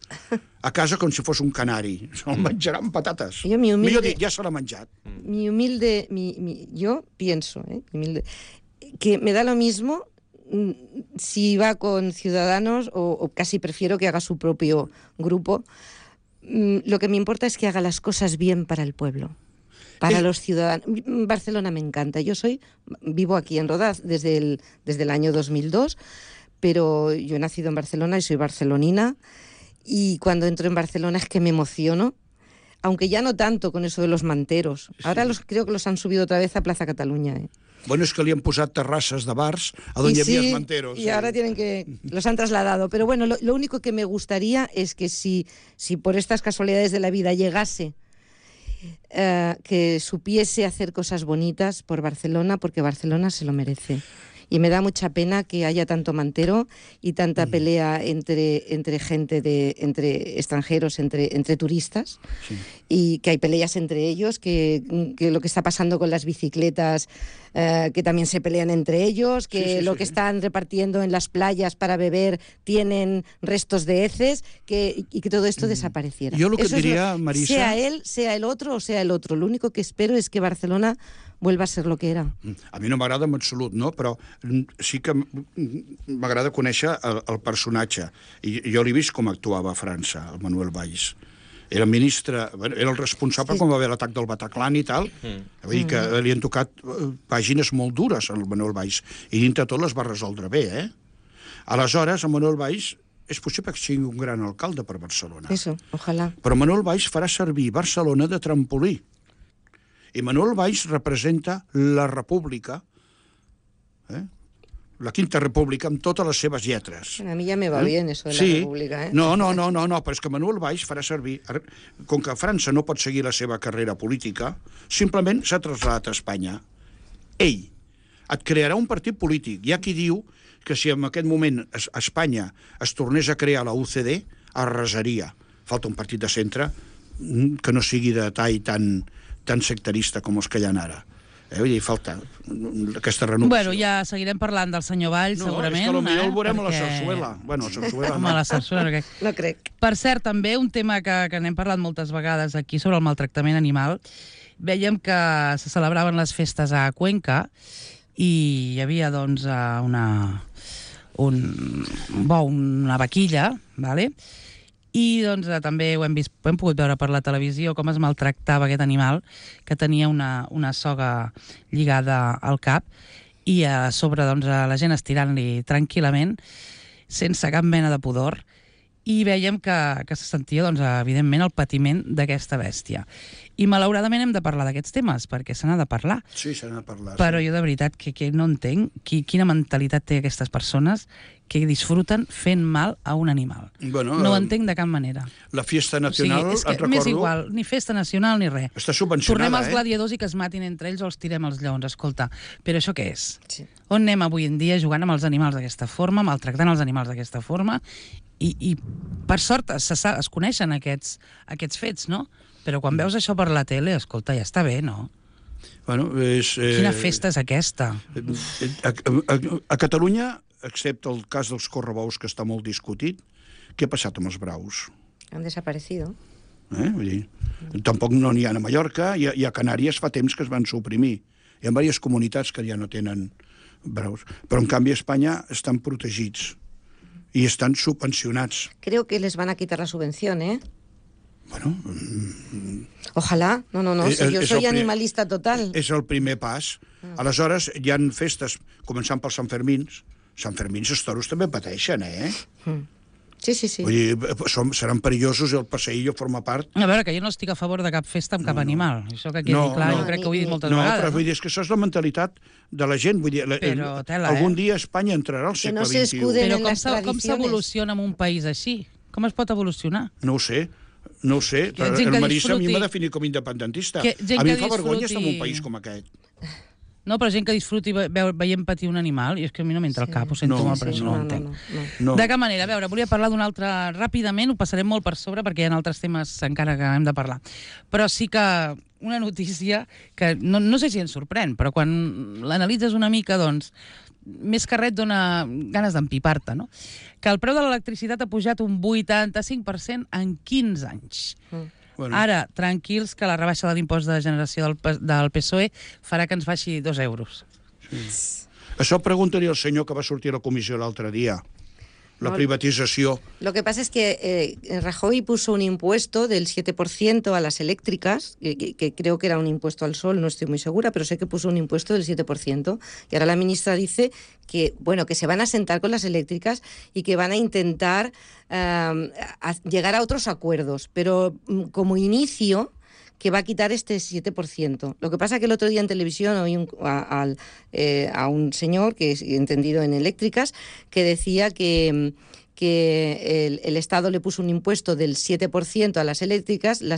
a casa com si fos un canari. Se'l menjarà amb patates. Millor dit, ja se l'ha menjat. Yo pienso, que me da lo mismo si va con Ciudadanos o casi prefiero que haga su propio grupo. Lo que me importa es que haga las cosas bien para el pueblo, para los ciudadanos. Barcelona me encanta. Vivo aquí en Rodaz desde el año 2002, pero yo he nacido en Barcelona y soy barcelonina, y cuando entro en Barcelona es que me emociono, aunque ya no tanto con eso de los manteros. Ahora creo que los han subido otra vez a Plaza Cataluña. Bueno, es que li han posat terrasses de bars a donde había manteros. Y ahora los han trasladado. Pero bueno, lo único que me gustaría es que si por estas casualidades de la vida llegase, que supiese hacer cosas bonitas por Barcelona, porque Barcelona se lo merece. Y me da mucha pena que haya tanto mantero y tanta pelea entre gente, entre extranjeros, entre turistas, y que hay peleas entre ellos, que lo que está pasando con las bicicletas, que también se pelean entre ellos, que que están repartiendo en las playas para beber tienen restos de heces, y que todo esto desapareciera. Yo lo que diría, Marisa... Sea él, sea el otro o sea el otro. Lo único que espero es que Barcelona vuelva a ser lo que era. A mi no m'agrada en absolut, no? Però sí que m'agrada conèixer el personatge. I jo l'he vist com actuava a França, el Manuel Valls. Era ministre, era el responsable quan va haver l'atac del Bataclan i tal. Vull dir que li han tocat pàgines molt dures al Manuel Valls, i dintre tot les va resoldre bé, Aleshores, el Manuel Valls és possible que sigui un gran alcalde per Barcelona. Eso, ojalá. Però Manuel Valls farà servir Barcelona de trampolí. I Manuel Valls representa la república, la Quinta República, amb totes les seves lletres. A mi ja me va bien eso de la república. No, però és que Manuel Valls farà servir... Com que França no pot seguir la seva carrera política, simplement s'ha traslladat a Espanya. Ell et crearà un partit polític. Hi ha qui diu que si en aquest moment a Espanya es tornés a crear la UCD, arrasaria. Falta un partit de centre que no sigui de tall tan sectarista com els que hi ha ara. Vull dir, falta aquesta renovació. Bueno, ja seguirem parlant del senyor Valls, segurament. No, és que potser el veurem a la Sarsuela. Bueno, a Sarsuela no. A la Sarsuela no crec. Per cert, també un tema que n'hem parlat moltes vegades aquí sobre el maltractament animal. Vèiem que se celebraven les festes a Cuenca i hi havia, doncs, una vaquilla, ¿vale? I doncs, també ho hem pogut veure per la televisió com es maltractava aquest animal, que tenia una soga lligada al cap, i a sobre doncs, la gent estirant-li tranquil·lament, sense cap mena de pudor, i veiem que se sentia, doncs, evidentment, el patiment d'aquesta bèstia. I malauradament hem de parlar d'aquests temes, perquè se n'ha de parlar. Sí, se n'ha de parlar. Però jo de veritat que no entenc quina mentalitat té aquestes persones que disfruten fent mal a un animal. Bueno, no ho entenc de cap manera. La Fiesta Nacional, o sigui, m'és igual, ni festa nacional ni res. Està subvencionada, Tornem als gladiadors i que es matin entre ells o els tirem als lleons. Escolta, però això què és? Sí. On anem avui en dia jugant amb els animals d'aquesta forma, maltractant els animals d'aquesta forma, i per sort es coneixen aquests fets, no? Però quan veus això per la tele, escolta, ja està bé, no? Bueno, quina festa és aquesta? A Catalunya, excepte el cas dels correbous, que està molt discutit, què ha passat amb els braus? Han desaparecido. Vull dir, tampoc no n'hi ha a Mallorca, i a Canàries fa temps que es van suprimir. Hi ha diverses comunitats que ja no tenen braus. Però, en canvi, a Espanya estan protegits i estan subvencionats. Creo que les van a quitar la subvención, Bueno... Ojalá. No, si jo soy animalista total. És el primer pas. Aleshores, hi han festes, començant pels Sant Fermins. Sant Fermins, els toros també pateixen, Sí. Vull dir, seran perillosos i el passeillo forma part... A veure, que jo no estic a favor de cap festa amb cap animal. Això que quedi clar, jo crec que ho he dit moltes vegades. No, però vull dir, és que això és la mentalitat de la gent. Vull dir, algun dia Espanya entrarà al segle XXI. Però com s'evoluciona en un país així? Com es pot evolucionar? No ho sé. Però el Marissa a mi m'ha definit com independentista. A mi em fa vergonya estar en un país com aquest. No, però gent que disfruti veient patir un animal, i és que a mi no m'entra al cap, ho sento molt, però no ho entenc. De cap manera, a veure, volia parlar d'un altre ràpidament, ho passarem molt per sobre perquè hi ha altres temes encara que hem de parlar. Però sí que una notícia que no sé si ens sorprèn, però quan l'analitzes una mica, doncs, més que res et dona ganes d'empipar-te, no? Que el preu de l'electricitat ha pujat un 85% en 15 anys. Bueno. Ara, tranquils, que la rebaixa de l'impost de generació del PSOE farà que ens baixi 2 euros. Sí. Això preguntaria al senyor que va sortir a la comissió l'altre dia. La privatización. Lo que pasa es que Rajoy puso un impuesto del 7% a las eléctricas, que creo que era un impuesto al sol, no estoy muy segura, pero sé que puso un impuesto del 7%. Y ahora la ministra dice que, bueno, que se van a sentar con las eléctricas y que van a intentar llegar a otros acuerdos. Pero como inicio, que va a quitar este 7%. Lo que pasa es que el otro día en televisión oí a un señor, que es entendido en eléctricas, que decía que el Estado le puso un impuesto del 7% a las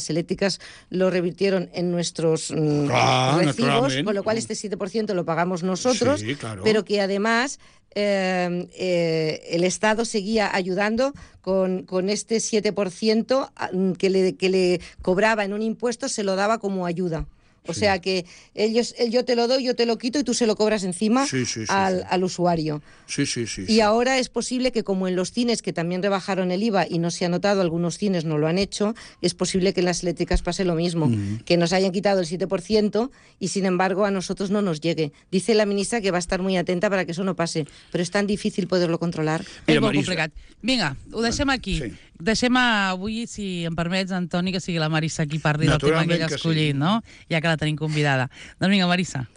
eléctricas lo revirtieron en nuestros recibos, con lo cual este 7% lo pagamos nosotros, sí, claro. Pero que además el Estado seguía ayudando con este 7% que le cobraba en un impuesto, se lo daba como ayuda. O sea que yo te lo doy, yo te lo quito y tú se lo cobras encima al usuario. Sí. Y ahora es posible que, como en los cines, que también rebajaron el IVA y no se ha notado, algunos cines no lo han hecho, es posible que en las eléctricas pase lo mismo, que nos hayan quitado el 7% y, sin embargo, a nosotros no nos llegue. Dice la ministra que va a estar muy atenta para que eso no pase, pero es tan difícil poderlo controlar. És molt complicat. Vinga, ho deixem aquí. Sí. Deixem avui, si em permets, Antoni, que sigui la Marissa qui parli del tema que ella ha escollit, no? Ja que la tenim convidada. Doncs vinga, Marissa.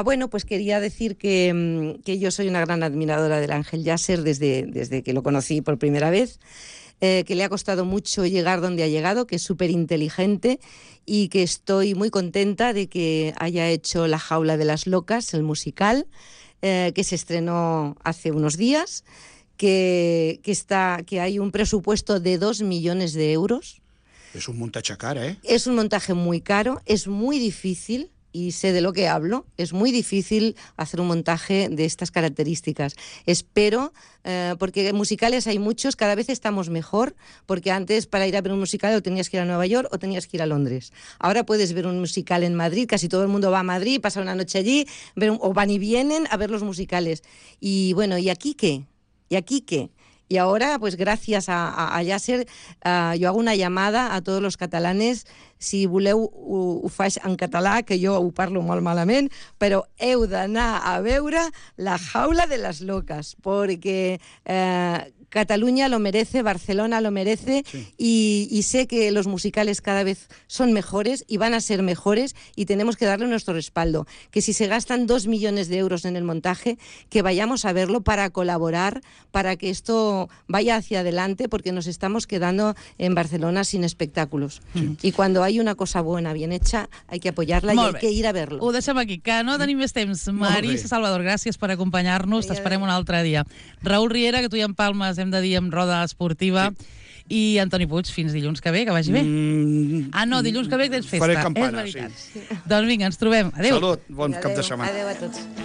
Bueno, pues quería decir que yo soy una gran admiradora del Ángel Yasser desde que lo conocí por primera vez, que le ha costado mucho llegar donde ha llegado, que es súper inteligente y que estoy muy contenta de que haya hecho La jaula de las locas, el musical, que se estrenó hace unos días, que hay un presupuesto de 2 millones de euros. Es un montaje caro, ¿eh? Es un montaje muy caro, es muy difícil, y sé de lo que hablo, es muy difícil hacer un montaje de estas características. Espero, porque musicales hay muchos, cada vez estamos mejor, porque antes para ir a ver un musical o tenías que ir a Nueva York o tenías que ir a Londres. Ahora puedes ver un musical en Madrid, casi todo el mundo va a Madrid, pasa una noche allí, o van y vienen a ver los musicales. Y bueno, ¿y aquí qué? Y ahora, pues gracias a Yasser, yo hago una llamada a todos los catalanes. Si voleu, ho faig en català, que jo ho parlo molt malament, però heu d'anar a veure La jaula de las locas, porque Cataluña lo merece, Barcelona lo merece, sí. Y sé que los musicales cada vez son mejores y van a ser mejores y tenemos que darle nuestro respaldo. Que si se gastan 2 millones de euros en el montaje, que vayamos a verlo para colaborar, para que esto vaya hacia adelante, porque nos estamos quedando en Barcelona sin espectáculos. Sí. Y cuando hay una cosa buena, bien hecha, hay que apoyarla i hay que ir a verlo. Ho deixem aquí, que no tenim més temps. Marissa Salvador, gràcies per acompanyar-nos. T'esperem un altre dia. Raül Riera, que tu i en Palmes hem de dir amb roda esportiva. Sí. I Antoni Puig, fins dilluns que ve, que vagi bé. No, dilluns que ve tens festa. Faré campana, sí. Doncs vinga, ens trobem. Adéu. Salut, bon cap de setmana. Adéu a tots.